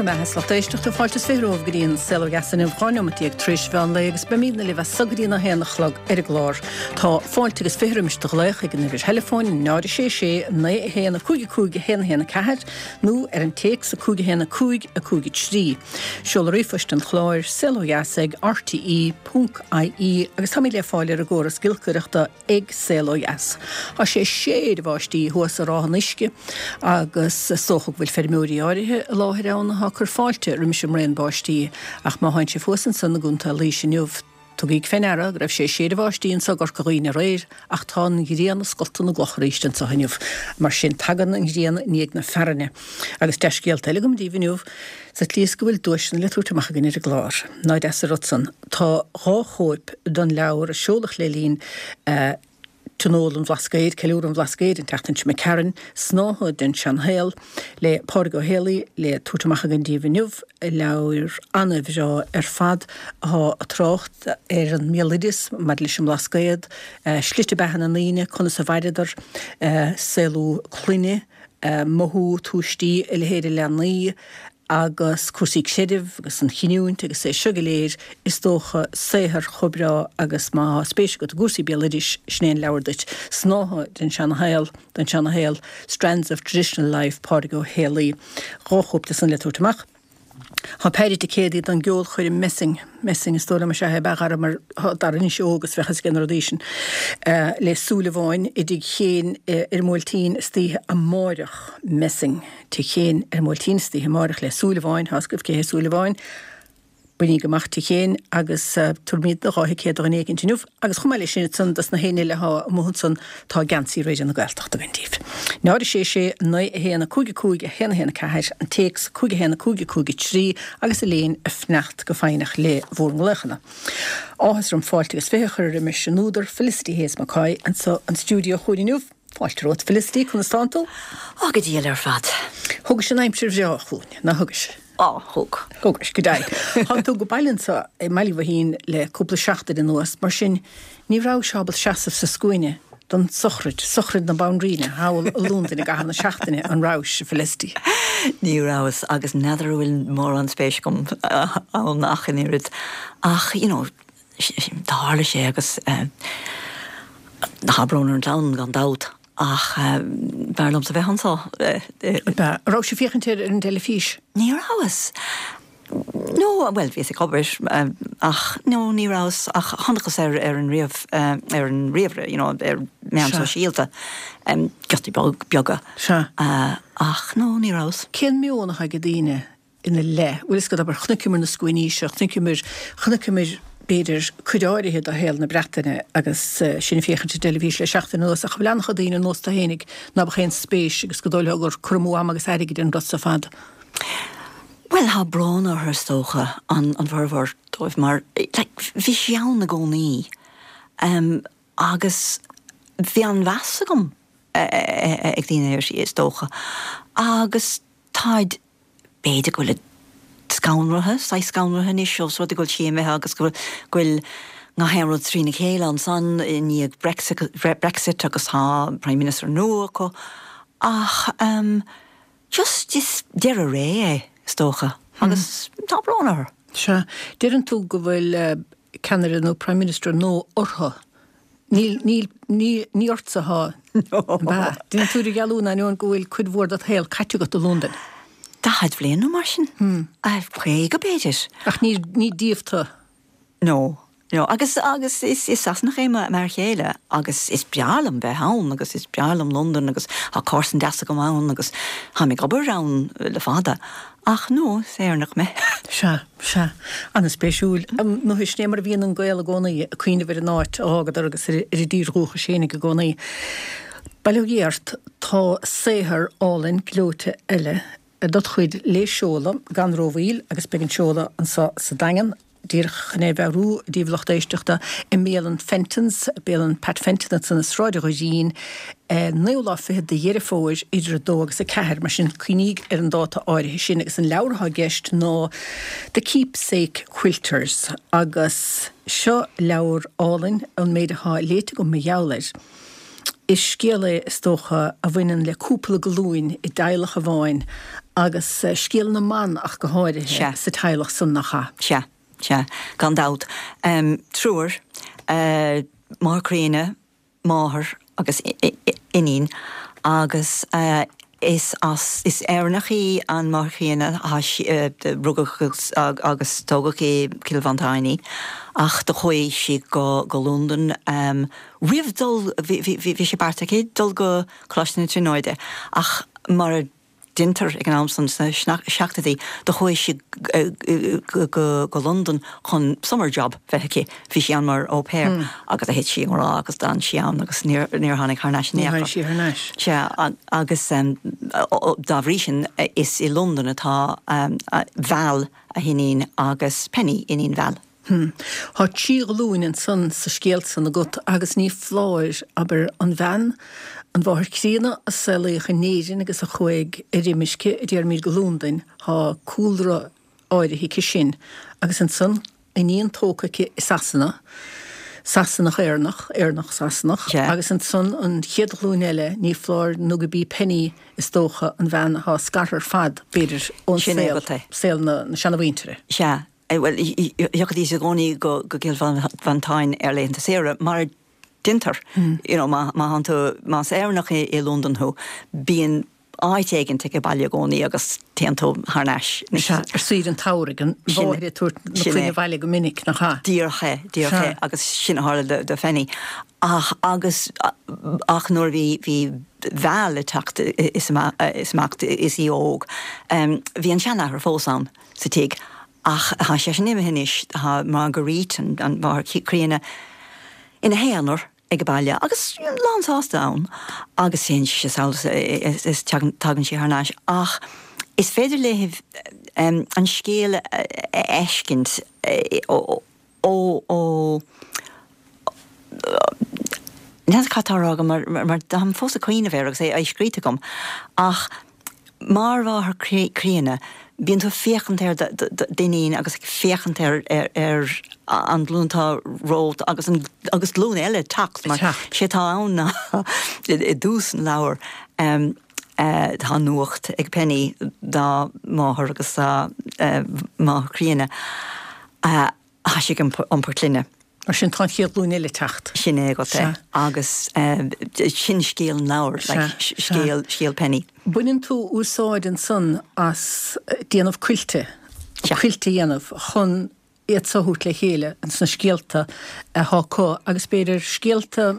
mbeatha is lucht éisteachta, fáilte is 20 romhaibh go dtí an Saol Ó Dheas inniu, 12 neomat tar éis mheán lae agus beimidne libh as so go dtí an 1 a chlog ar an gclár. Tá fáilte agus 20 roimis do ghlaoch ag an uimhir theileafóin 0 6 6 9 1 5 5 1 1 4 nó ar an téacs 5 1 5 5 3. Seoladh ríomhphoist an chláir, saolodheas ag rte ponc ie agus táimid le fáil ar an gcóras giolcaireachta ag Saol Ó Dheas. Tá sé ag séideadh báistí thuas i Ráth an Uisce agus is dócha go bhfuil feirmeoirí áirithe i láthair ann atá ag cur fáilte roimis an mbraon báistí ach má thánn sibh thuas ansan i gContae Laoise inniu, tugaíg fé ndeara go raibh sé ag séideadh báistí anso i gCorca Dhuibhne aréir ach tá an ghrian ag scoltadh na gcloch arís anso inniu. Mar sin, tagann an ghrian i ndiaidh na fearthainne. Agus dea-scéalta eile agam daoibh inniu, sa tslí is go bhfuil duaiseanna le tabhairt amach againn ar an gclár. Ná deas an rud san. Tá 2 chóip den leabhar a seoladh le linn Tionól an Bhlascaoid, Ceiliúradh an Bhlascaoid, an tseachtain seo imigh tharainn, Snáithe den Seanshaol, le Pádraig Ó Héalaí, le tabhairt amach againn daoibh inniu, leabhar an-bhreá ar fad atá ag trácht ar an mbéaloideas maidir leis an mBlascaod, slite beatha na ndaoine, conas a mhaireadar, saolú clainne, mothú tuistí, a leithéid de leanaí agus cúrsaí creidimh agus an chinniúint agus é seo go léir, is dócha, saothar chomh breá agus má tá spéis agat i gcúrsaí béaloidis, sin é an leabhar duit. Snáithe den seanashaol, den seanashaol, Strands of Traditional Life, Pádraig Ó Héalaí. 2 chóip de san le tabhairt amach. Tá péire ticéadaí don gceolchoirm Messing, Messing is dóigh liom is ea é, ab ea a Dhara mar tá Dara anois óg agus bheadh fhios aige na rudaí sin, le Súilleabháin i dTigh Chéin ar an mBuailtín istoíche amáireach. Messing, Tigh Chéin ar an mBuailtín istoíche amáireach le Súilleabháin, tá fhios agaibh cé hé Súilleabháin. Bainíg amach Tigh Chéin agus tabharfaimid do 2 thicéad do dhuine éicint inniu agus chomh maith leis sin ansan dos na héinne eile athá amuigh ansan tá geansaí Raidió na Gaeltachta againn daoibh. 0 6 6 9 1 5 5 1 1 4, an téacs 5 1 5 5 3 agus Elaine ag fanacht go foighneach le bhur nglaochanna. Áthas orm fáilte agus 20 a chur roimis an údar Felicity Hayes McCoy anso an stiúideo chugainn inniu. Fáilte romhat Felicity, conas tánn tú? Á, go diail ar fad. Thugais an aimsir bhreá chugainn, ná thugais? Á, thug. Thugais, go deimhin. Thánn tú go baile anso i mBaile Mhaoithín le cúpla seachtain anuas, mar sin ní rabhais ábalta seasamh sa scuaine don sochraid, sochraid na Banríona, thall i Londain i gcaitheamh na seachtaine, an rabhais, a Felicity? Ní rabhas, agus n'fheadar an bhfuil mórán spéis agam ann ach an oiread. Ach, you know, tharla sé agus tá brón ar an chlann gan dabht ach b'fhearr liomsa bheith anso. Ab ea? An rabhais ag féachaint air ar an dteilifís? Ní rabhas. No, bhuel, bhíos ag obair ach no, ní rabhas ach chonacthas ar ar an ríomh ar an ríomhaire, you know, ar meán sóisialta, giotaí beaga. Sea. Ach no, ní rabhas. Cén meon atá ag daoine ina leith. Bhfuil fhios agat, abair, chonaiceamar na scuainí seo, chonaiceamar, chonaiceamar, b'fhéidir, cuid áirithe de shaol na Breataine agus sinn ag féachaint ar an dteilifís le seachtain anuas, ach an bhfuil an-chuid daoine ar nós tú fhéinig ná beadh aon spéis agus go dóigh leo gur cur amú ama agus airgid an rud seo ar fad. Bhuel, tá brón orthu is dócha, an, an formhór dóibh, mar, like, bhí sí ann i gcónaí agus bhí an-mheas agam ag daoine uirthi, is dócha, agus táid B'fhéidir go bhfuilid scanraithe, saghas scanraithe anois ós rud é go bhfuil sí imithe agus go bhfuil gach aon rud trína chéile ansan i ndiaidh Brexit agus tá Prime Minister nua acu ach just is deireadh ré é is dócha agus tá brón orthu. Sea. Deireann tú go bhfuil ceannaire nó Prime Minister nua orthu. Níl, níl, ní, ní ortsa atá. Ab ea? Déanann tú idirdhealú in ainneoin go bhfuil cuid mhór dod shaol caite agat i Londain. 40 bhliain nó mar sin. 50 b'fhéidir. Ach ní, ní díobh tú. No, no. Agus, agus is, is Sasanach é m'fhear chéile agus is breá liom bheith ann agus is breá liom Londain agus tá comharsan deas agam ann agus táim ag obair ann le fada. Ach no, is Éireannach mé. Sea. Sea. An-spéisiúil. Nó sin é mar a bhíonn an Gael i gcónaí, ag cuimhneamh ar an áit a d'fhágadar agus ar a dtír dhúchais fhéinig i gcónaí. Bail ó Dhia ort, tá saothar álainn gleoite eile dod chuid le seoladh gan rómhoill agus beidh an seoladh anso sa Daingean, díreach chun é a mheabhrú daoibh lucht éisteachta, i mbialann Fenton's, bialann Pat Fenton ansan i Sráid an Dhoirín, naoú lá fichead de Dheireadh Fómhair idir 2 agus 4, mar sin cuimhníg ar an dáta áirithe sin agus an leabhar atá i gceist ná The Keepsake Quilters agus seo leabhar álainn, an méid atá léite agam mar gheall air. Is scéal é is dócha a bhaineann le cúpla glúin i dteaghlach amháin. Agus scéal na mban ach go háirithe Sea. sa teaghlach san, nach ea? Sea, sea, gan dabht. Triúr, máthair chríonna, máthair agus iníon agus is as, is Éireannach í an mháthair chríonna, rugadh agus tógadh i gCill Mhantáin í ach do chuaigh sí go go Londain roimh dul, bhí sé beartaithe aici dul go Coláiste na Tríonóide ach mar a deintear ag an am san sna seachtóidí, do chuaigh sí go Londain chun summer job bheith aici. Bhí sí ann mar au pair agus do thit sí i ngrá agus d'fhan sí ann agus níor tháinig thar n-ais in aon chor. Níor tháinig sí thar n-ais. Sea, agus dá bhrí sin is i Londain atá Val, a hiníon, agus Penny, iníon Val. Hm. Thá trí ghlúin ansan sa scéal san agat agus ní foláir, abair, an bhean, an mháthair chríonna a saolaíodh in Éirinn agus a chuaigh ar imirce, a déarfaimíd, go Lúndain, thá cúlra áirithe aici sin. Agus ansan, iníon tógtha aici i Sasana, Sasanach-Éireannach, Éireannach-Sasanach, agus ansan an chéad ghlúin eile, ní foláir nó go b'í Penny, is dócha, an bhean athá scartha ar fad, b'fhéidir, ón saol, saol na seanamhuintire. Sea. Bhuel, thiocfaidís i gcónaí go Cill Mhantáin ar laethanta saoire, mar a deintear. You know, má thánn tú, más Éireannach i Londain thú, bíonn áit éigint ag baile i gcónaí agus téann tú thar n-ais. Sea, ar saoire an tsamhraidh, an mháthair ag tabhairt na clainne abhaile go minic, nach ea? Díreach é, díreach é, agus sin a tharla do Phenny. Ach, agus, ach nuair a bhí, bhí Val ag teacht is amach is í óg, bhí an seanathair fós ann. sa tigh. Ach tá sé sin imithe anois, tá Marguerite, an mháthair chríonna, ina haonar ag baile agus lán sásta ann agus téann sí sall is tagann sí thar n-ais. Ach is féidir léi an scéal a fheiscint ó ó ó N'fheadar cad tá á rá agam mar mar táim fós ag cuimhneamh air agus é scríte agam ach mar mháthair chríonna bíonn tú ag féachaint ar d'iníon agus ag féachaint ar ar an ghlúin atá romhat agus an agus glúin eile ag teacht mar sé atá ann ná i dtús an leabhair tá nuacht ag Penny dá máthair agus dá máthair chríonna. Tá sí ag iompar clainne. Mar sin tá an chéad ghlúin eile ag teacht. Sin é agat é. Agus sin scéal an leabhair, like, scéal, scéal Penny. Baineann tú úsáid ansan as déanamh cuilte, cuilt a dhéanamh chun iad so a thabhairt le chéile ins na scéalta athá acu agus b'fhéidir scéalta,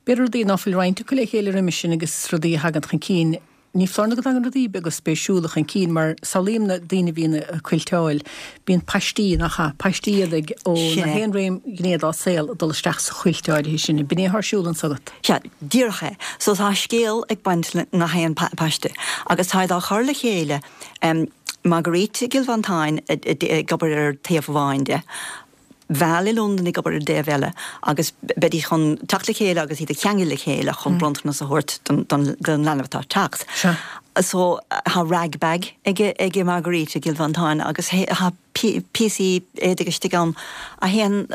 b'fhéidir rudaí ná fuil roinnte acu le chéile roimis sin agus rudaí a thagann chun cinn. Ní foláir nó go dtagann rudaí beaga spéisiúla chun cinn mar samhlaím na daoine a bhíonn ag cuilteáil, bíonn paistí, nach ea? Paistí iad ag ó Sin na é. haon réim ghné dá saol ag dul isteach sa chuilt áirithe sin. B'in é atá ar siúl anso agat. Sea, díreach é. So tá scéal ag baint le ngach aon paiste agus táid á chur le chéile, Marguerite i gCill Mhantáin ag obair ar taobh amháin de, Val i Londain ag obair ar an dtaobh eile agus beidís chun teacht le chéile agus iad a cheangal le chéile chun bronntanas a thabhairt don leanbh atá ag teacht. So tá rag bag ag Marguerite i gCill Mhantáin agus tá píosaí éadaigh istigh ann a théann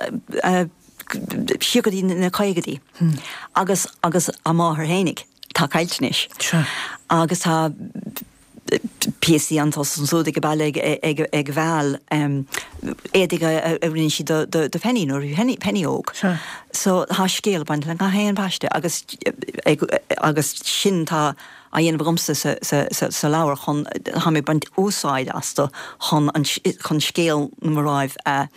siar go dtí na caogaidí agus agus a máthair fhéinig atá caillte anois. Agus tá píosaí anso is ansúd ag baile ag Val, éadaigh a rinne sí do Penny nuair a bhí Penny óg. So tá scéal ag baint le gach aon paiste agus agus sin tá á dhéanamh agamsa sa leabhar chun, tá mé ag baint úsáid astu chun chun scéal na mnáibh a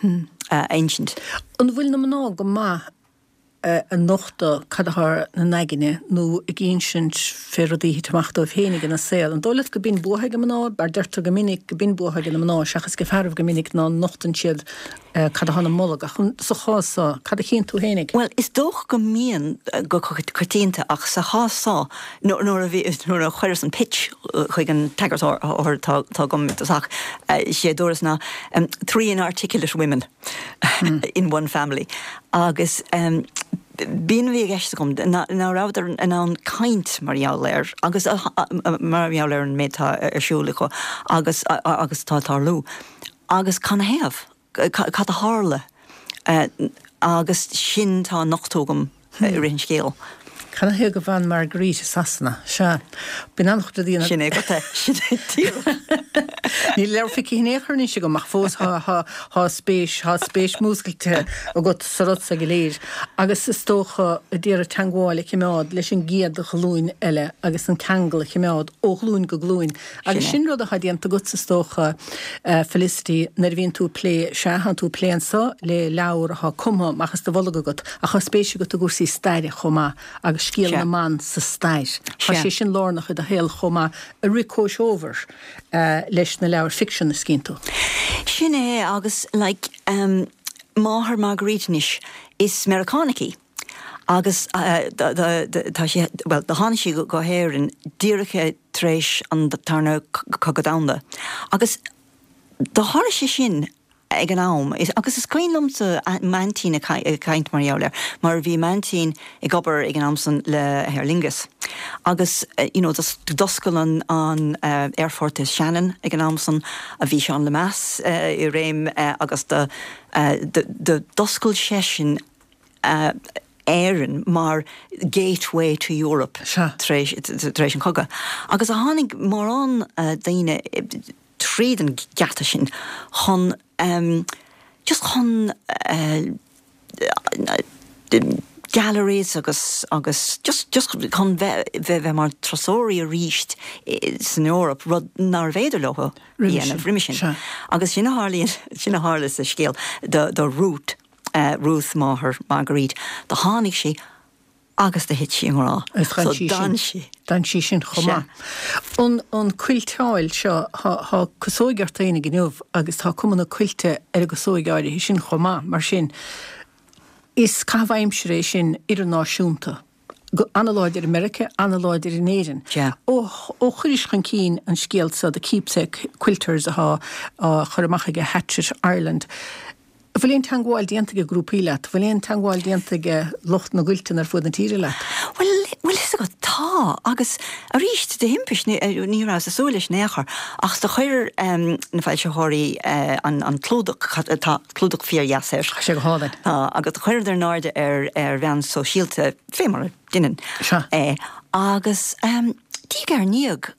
insint. An bhfuil na mná go maith ag nochtadh cad athá 'na n-aigne nó ag insint fé rudaí a thit amach dóibh féinig ina saol. An dóigh leat go binn bua ag mná, mar deirtear go minic go binn bua ag na mná seachas ag fearaibh go minic ná nochtann siad cad athá 'na mbolg. Ach sa chás so, cad a chíonn tú fhéinig? Bhuel, is dócha go mbíonn go coitianta ach sa chás so, nuair a bhí, nuair a chuireas an pitch chuig an t-eagarthóir atá agam i dtosach, sé a dúras ná, three inarticulate women. in one family agus b'in a bhí i gceist agam, ná rabhadar in ann caint mar gheall air agus mar gheall ar an méid atá ar siúl acu agus agus atá ag tarlú. Agus canathaobh? Cad a tharla? Agus sin tá á nochtadh agam i rith an scéil. Canathaobh go bhfan Marguerite i Sasana? Sea. Bíonn an-chuid rudaí ina. Sin é agat é. Sin é díreach. Níl leabhar feicthe in aon chor anois agam ach fós thá spéis, thá spéis múscailte agat sa rud so go léir. Agus is dócha a d'iarraidh teangmháil a chimeád leis an gcéad ghlúin eile agus an ceangal a chimeád ó ghlúin go glúin. Agus sin rud atá déanta agatsa is dócha, Felicity, nuair a bhíonn tú ag plé, sea, thánn tú ag plé anso le leabhar athá cumtha amach as do bholg agat, ach tá spéis agat i gcúrsaí staire chomh maith agus scéal na mban sa stair. Tá sé sin lárnach i do shaol chomh maith, a rith comhthreomhar leis na leabhair ficsean a scríonn tú. Sin é, agus like, máthair Marguerite anois, is Meiriceánach í. Agus tá sí, bhuel, do tháinig sí go hÉirinn díreach tar éis an Tarna Cogadh Domhanda. Agus do tharla sé sin ag an am, agus is cuimhin liomsa m'aintín ag caint mar gheall air, mar bhí m'aintín ag obair ag an am san le Aer Lingus. Agus, you know, d'oscail an an aerfort i Shannon ag an am san, a bhí Seán Lemass i réim agus do d'oscail seisean Éirinn mar gateway to Europe tar éis an chogaidh. Agus tháinig mórán daoine tríd an geata sin chun just chun galleries agus agus just just chun bheith bheith mar turasóirí arís san Eoraip, rud nárbh fhéidir leo a dhéanamh roimhe sin. Agus sin a tharlaíonn, sin a tharla sa scéal do Ruth. Ruth, máthair Marguerite, do tháinig sí agus do thit sí i ngrá. So d'fhan sí. D'fhan sí sin chomh maith. An an cuilteáil seo, thá casóig ort fhéinig inniu agus tá cuma na cuilte ar an gcasóig áirithe sin chomh maith, mar sin is caitheamh aimsire é sin idirnáisiúnta. An-láidir i Meiriceá, an-láidir in Éirinn. Ó ó chuiris chun cinn an scéal seo, The Keepsake Quilters athá á chur amach ag Hachette Ireland, an bhfuil aon teangmháil déanta ag grúpaí leat? An bhfuil aon teangmháil déanta ag lucht na gcuilteanna ar fuaid na tíre leat? Bhuel, bhfuil fhios agat, tá, agus arís, de thimpist, ní rabhas ag súil leis in aon chor, ach do chuir na foilsitheoirí an clúdach, tá clúdach fíor-dheas air. Tá sé go hálainn. Tá, agus do chuireadar in airde ar ar mheáin sóisialta, fé mar a deineann é, agus diaidh ar ndiaidh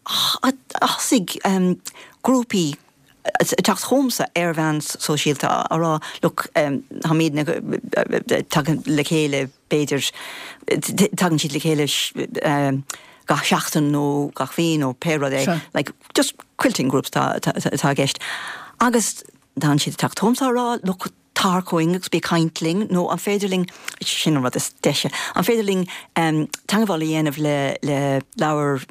thosaigh grúpaí ag teacht chugamsa ar mheáin sóisialta á rá look, táimidne tagtha le chéile, b'fhéidir, tagann siad le chéile gach seachtain nó gach mhí nó pé rud é, like just quilting groups atá i gceist. Agus Tánn siad ag teacht chugamsa á rá, look, tar chugainn agus bí ag caint linn, nó an féidir linn, sin an rud is deise, an féidir linn teangmháil a dhéanamh le le leabhar,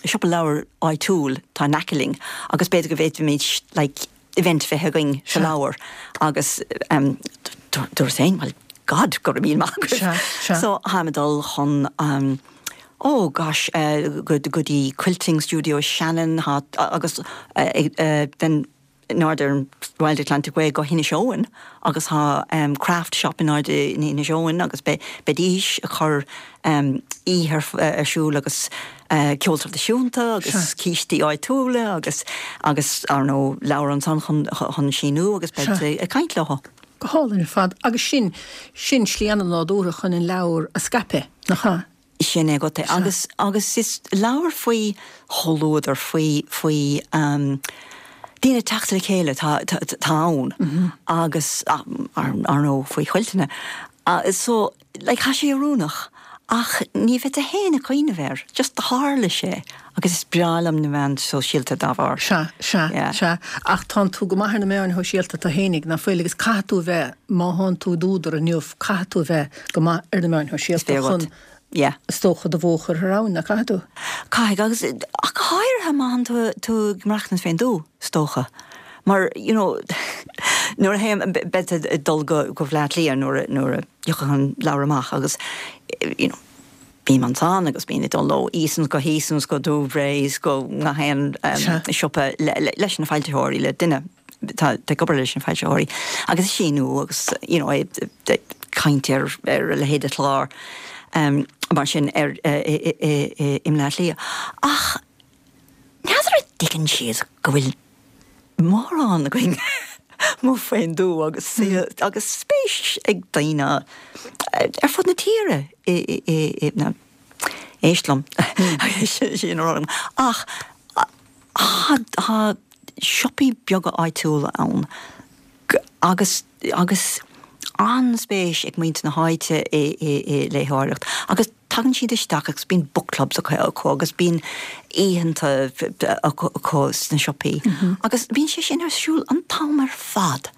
siopa leabhar áitiúil atá in aice linn agus b'fhéidir go bhféadfaimid like event a bheith againn sa leabhar agus dúras féin, well, God, go raibh míle maith agat. So tháim ag dul chun oh gosh, go dtí Quilting Studio Shannon agus then in airde ar an Wild Atlantic Way go hInis Eoghain agus tá craft shop in airde in Inis Eoghain agus beidís ag cur oíche ar siúl agus ceol traidisiúnta agus cístí áitiúla agus agus ar ndóigh leabhar ansan chun chun síniú agus beid ag caint leo. Go hálainn ar fad. Agus sin, sin slí an-nádúrtha chun an leabhar a scaipeadh, nach ea? Sin é agat é. Agus, agus is leabhar faoi chomhluadar, faoi, faoi daoine ag teacht le chéile atá, atá ann agus ar ndóigh faoi chuilteanna. So, like, tá sé oiriúnach ach ní bheadh tú féin ag cuimhneamh air, just tharla sé agus is breá liom na meáin shóisialta dá bharr. Sea, sea, Yeah. sea. Ach tánn tú go maith ar na meáin shóisialta tú fhéinig, ná fuil? Agus caithfidh tú a bheith, má thánn tú i d'údar inniu, caithfidh tú a bheith go maith ar na meáin shóisialta chun, Yeah. is dócha, do bhó a chur thar abhainn, ná caithfidh tú? Caithfidh, agus ach go háirithe má thánn tú, tú ag maireachtaint fén dtuath, is dócha. Mar, you know, nuair a théim, bead ag dul go, go Bhleá Cliath nuair a, nuair a thiocfaidh an leabhar amach agus, you know, bím ansan agus bím ag dul ó Easons go hEasons go Dubhrays go gach aon siopa leis na foilsitheoirí, le duine atá ag obair leis na foilsitheoirí agus ag síniú agus you know ag caint ar ar a leithéid de chlár mar sin ar i mBleá Cliath. Ach n'fheadar an dtuigeann siad go bhfuil mórán againn. Amuigh fén dtuath agus agus spéis ag daoine ar fud na tíre i i i na éist liom sin a rá ach tá siopaí beaga áitiúla ann agus agus an-spéis ag muintir na háite i i i léitheoireacht agus tagann siad isteach agus bíonn book clubs acu acu agus bíonn oícheanta acu acu sna siopaí agus bíonn sé sin ar siúl an t-am ar fad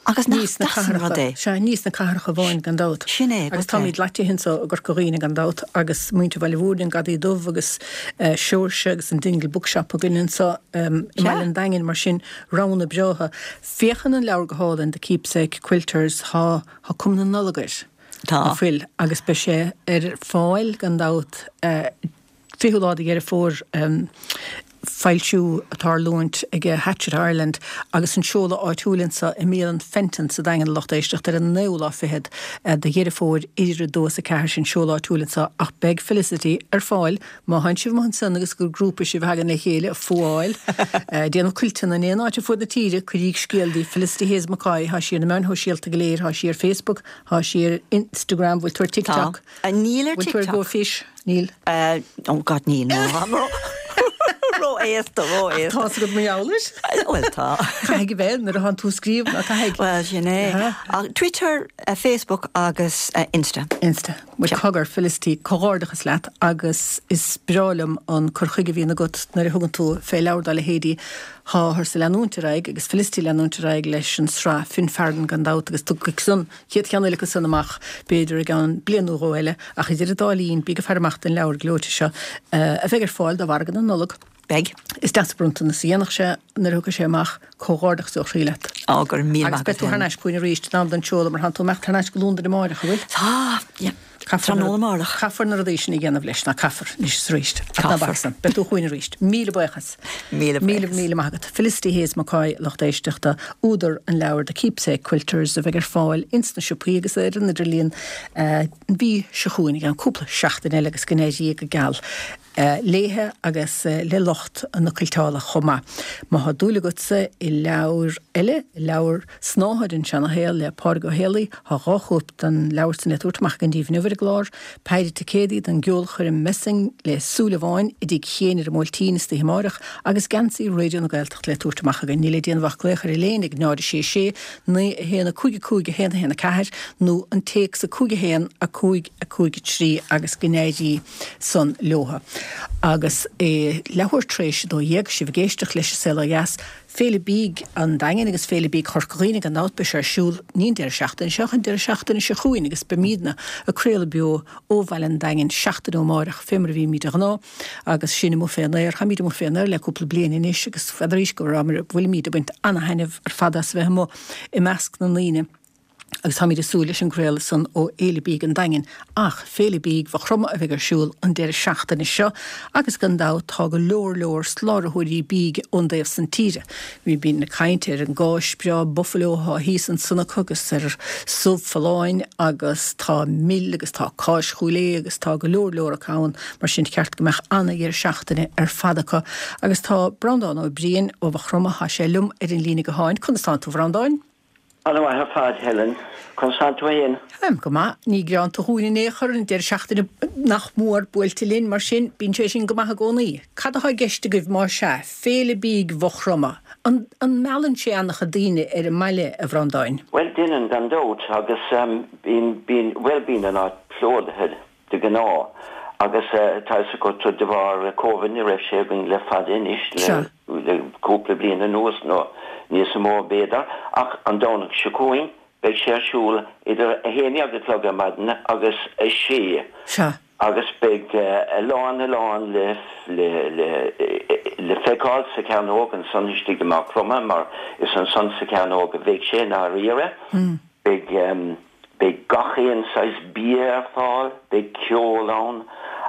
agus nach deas an rud é. Sea, ní sna cathracha amháin gan dabht. Sin é, Agus táimid leite anso i gCorca Dhuibhne gan dabht agus muintir Bhaile Mhúirne, an Gadaí Dubh agus Seoirse agus an Dingle Bookshop againn anso i mBaile an Daingin mar sin, roghanna breátha. Féachann an leabhar go hálainn, The Keepsake Quilters, tá, tá cuma na Nollag air. Tá. Nach bhfuil? Agus beidh sé ar fáil, gan dabht, 20ú lá de Dheireadh Fómhair, foilsiú ag tarlúint ag Hachette Ireland agus an seoladh áitiúil anso i mBialann Fenton sa Daingean a lucht éisteachta ar an naoú lá fichead de Dheireadh Fómhair idir 2 is 4 sin seoladh áitiúil anso ach beidh Felicity ar fáil Má thánn sibh amuigh ansan agus gur grúpa sibh a thagann le chéile ag fuáil, ag déanamh cuilteanna in aon áit ar fuaid na tíre, cuiríg scéal di. Felicity Hayes McCoy, thá sí ar na meáin shóisialta go léir, thá sí ar Facebook, thá sí ar Instagram, bhfuil tú ar TikTok? Tá. Níl ar Bhfuil tú ar TikTok. Go Fish? Níl. Oh God, níl, no. Ró-aosta, ró-aosta. Tá's agat mar gheall air. Bhuel, tá. Caithfidh a bheith nuair atánn tú ag scríobh, ná caithfidh? Bhuel, sin é. Twitter, Facebook agus Insta. Insta. Bhuel, cogar, Felicity, comhghairdeachas leat agus is breá liom an cur chuige a bhíonn agat nuair a thugann tú fé leabhar dá leithéidí. Táthar-sa leanúint ar aghaidh agus Felicity leanúint ar aghaidh leis an sraith Finfearn gan dabht agus tiocfaidh an chéad cheann eile acu san amach b'fhéidir i gceann bliain nó dhó eile ach idir an dá linn bí ag faire amach don leabhar gleoite seo a bheidh ar fáil do mhargadh na Nollag. Beidh. Is deas an bronntanas a dhéanfadh sé nuair a thiocfaidh sé amach. Comhghairdeachas ó chroí leat. Á, go raibh míle maith agat. Agus beidh tú thar n-ais chugainn arís in am don seoladh mar thánn tú imeacht thar n-ais go Londain amáireach, an bhfuil? Tá, yeah. Tráthnóna amárach. Caithfear na rudaí sin a dhéanamh leis, ná caithfear, anois is arís. Ach ná bac san. Beidh tú chugainn arís. Míle buíochas. Míle buíochas. Míle, míle maith agat. Felicity Hayes McCoy, lucht éisteachta, údar an leabhair The Keepsake Quilters a bheidh ar fáil ins na siopaí agus ar an idirlíon an mhí seo chugainn, i gceann cúpla seachtain eile agus go n-éirí go geal léithe agus le lucht na cuilteála chomh maith. Má thá dúil agatsa i leabhar eile, leabhar Snáthaid an Seana-Shaol le Pádraig Ó Héalaí, thá 2 chóip den leabhar san le tabhairt amach againn daoibh inniu ar an gclár, Péire ticéadaí don gceolchoirm Messing le Súil Amháin i dTigh Chéin ar an mBuailtín istoíche amáireach agus geansaí Raidió na Gaeltachta le tabhairt amach againn. Níl le déanamh ach glaoch ar Elaine ag 0 6 6 9 1 5 5 1 1 4 nó an téacs 5 1 5 5 3 agus go n-éirí san leotha. Agus é leathuair tar éis 12, sibh ag éisteacht leis An Saol Ó Dheas, Féile Bídh an Daingin agus Féile Bídh Chorca Dhuibhne gan dabht, beidh sé ar siúl ní an deireadh seachtaine seo ach an deireadh seachtaine seo chugainn agus beimídne ag craoladh beo ó Bhaile an Daingin seachtain ó amárach fé mar a bhímíd de ghnáth agus sinn amuigh fén aer. Táimíd amuigh fén aer le cúpla bliain anois agus n'fheadaraís go bhfuilimíd ag baint ana-thaitneamh ar fad as a bheith amuigh i measc na ndaoine. agus táimid ag súil leis an gcraoladh san ó Fhéile Bídh an Daingin, ach Féile Bídh Mhaigh Chromtha a bheidh ar siúl an deireadh seachtaine seo agus gan dabht tá go leor leor sláraitheoirí bídh ón dtaobh san tíre. Bhí bíonn ag caint ar an gcáis breá buffalo atá thíos ansan acu agus ar subh folláin agus tá mil agus tá cáis Chúil Aodha agus tá go leor leor acu ann mar sin cheart go mbeadh ana-dheireadh seachtaine ar fad acu agus tá Breandán Ó Briain ó Mhaigh Chromtha, tá sé liom ar an líne gutháin. Conas tánn tú a Bhreandáin? Ana mhaith ar fad, Helen. Conas tánn tú fhéin? Táim go maith. Ní greanta dhúinn in aon chor an deireadh seachtaine nach mór buailte linn, mar sin bíonn sé sin go maith i gcónaí. Cad atá i gceist agaibh má sea, Féile Bídh Mhaigh Chromtha? An an meallann sé ana-chuid daoine ar an mbaile, a Bhreandáin? Bhuel, déanann gan dabht, agus bíonn, bíonn, bhuel bíonn an áit plódaithe de ghnáth agus tá fhios agat de bharr Covid ní raibh sé againn le fada anois, le. le cúpla bliain anuas, nó níos mó b'fhéidir, ach an Domhnach seo chugainn beidh sé ar siúl idir 11 a chlog ar maidin agus 6 Sea. agus beidh a lán a lán le le le le feiceáil sa Chearnóg ansan istigh i Maigh Chromtha mar is ansan sa Chearnóg a bheidh sé i ndáiríre. Beidh. Beidh gach aon saghas bia ar fáil, beidh ceol ann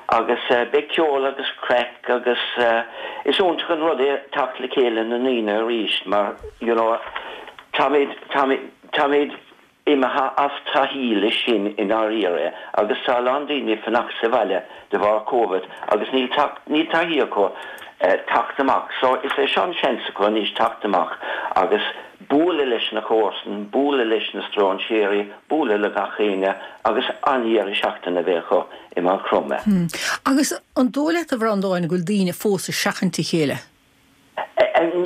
agus beidh ceol agus craic agus is iontach an rud é teacht le chéile na ndaoine arís mar you know táimid, táimid, táimid imithe as taithí leis sin i ndáiríre agus tá a lán daoine ag fanacht sa bhaile de bharr Covid agus níl teacht, níl taithí acu teacht amach so is é seo an seans acu anois teacht amach agus. bualadh leis na comharsain, bualadh leis na stróinséirí, bualadh le gach éinne agus an-dheireadh seachtaine a bheith acu i Maigh Chromtha. Agus an dóigh leat, a Bhreandáin, go bhfuil daoine fós ag seachaint a chéile?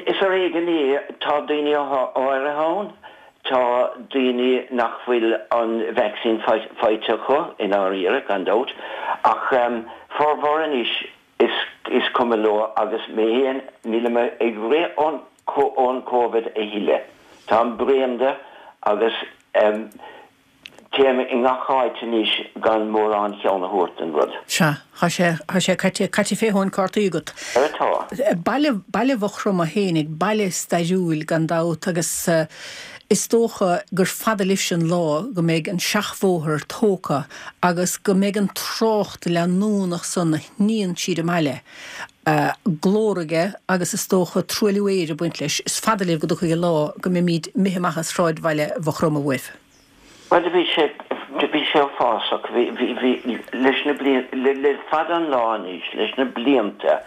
Is ar éigean é. Tá daoine áirithe ann, tá daoine nach bhfuil an vacsaín faighte acu, i ndáiríre, gan dabht, ach formhór anois, is cuma leo agus mé féin, nílim ag rith ón Covid a thuilleadh. Táim bréan de agus téim i ngach áit anois gan mórán cheann a thabhairt don rud. Sea, tá sé, tá sé caite, caite fé thóin cártaí agat. Ar atá. Baile, baile Mhaigh Chromtha fhéinig, baile stairiúil gan dabht agus is dócha gur fada libhse an lá go mbeidh an seachbhóthar tógtha agus go mbeidh an trácht leanúnach san a shníonn tríd an mbaile, glór aige agus is dócha truailliú aeir ag baint leis. Is fada libh go dtiocfaidh an lá go mbeimíd imithe amach as sráidbhaile Mhaigh Chromtha uaibh. Bhuel, do bhí sé, do bhí sé uafásach. Bhí, bhí, bhí, leis na blianta, le, le fada an lá anois, leis na blianta,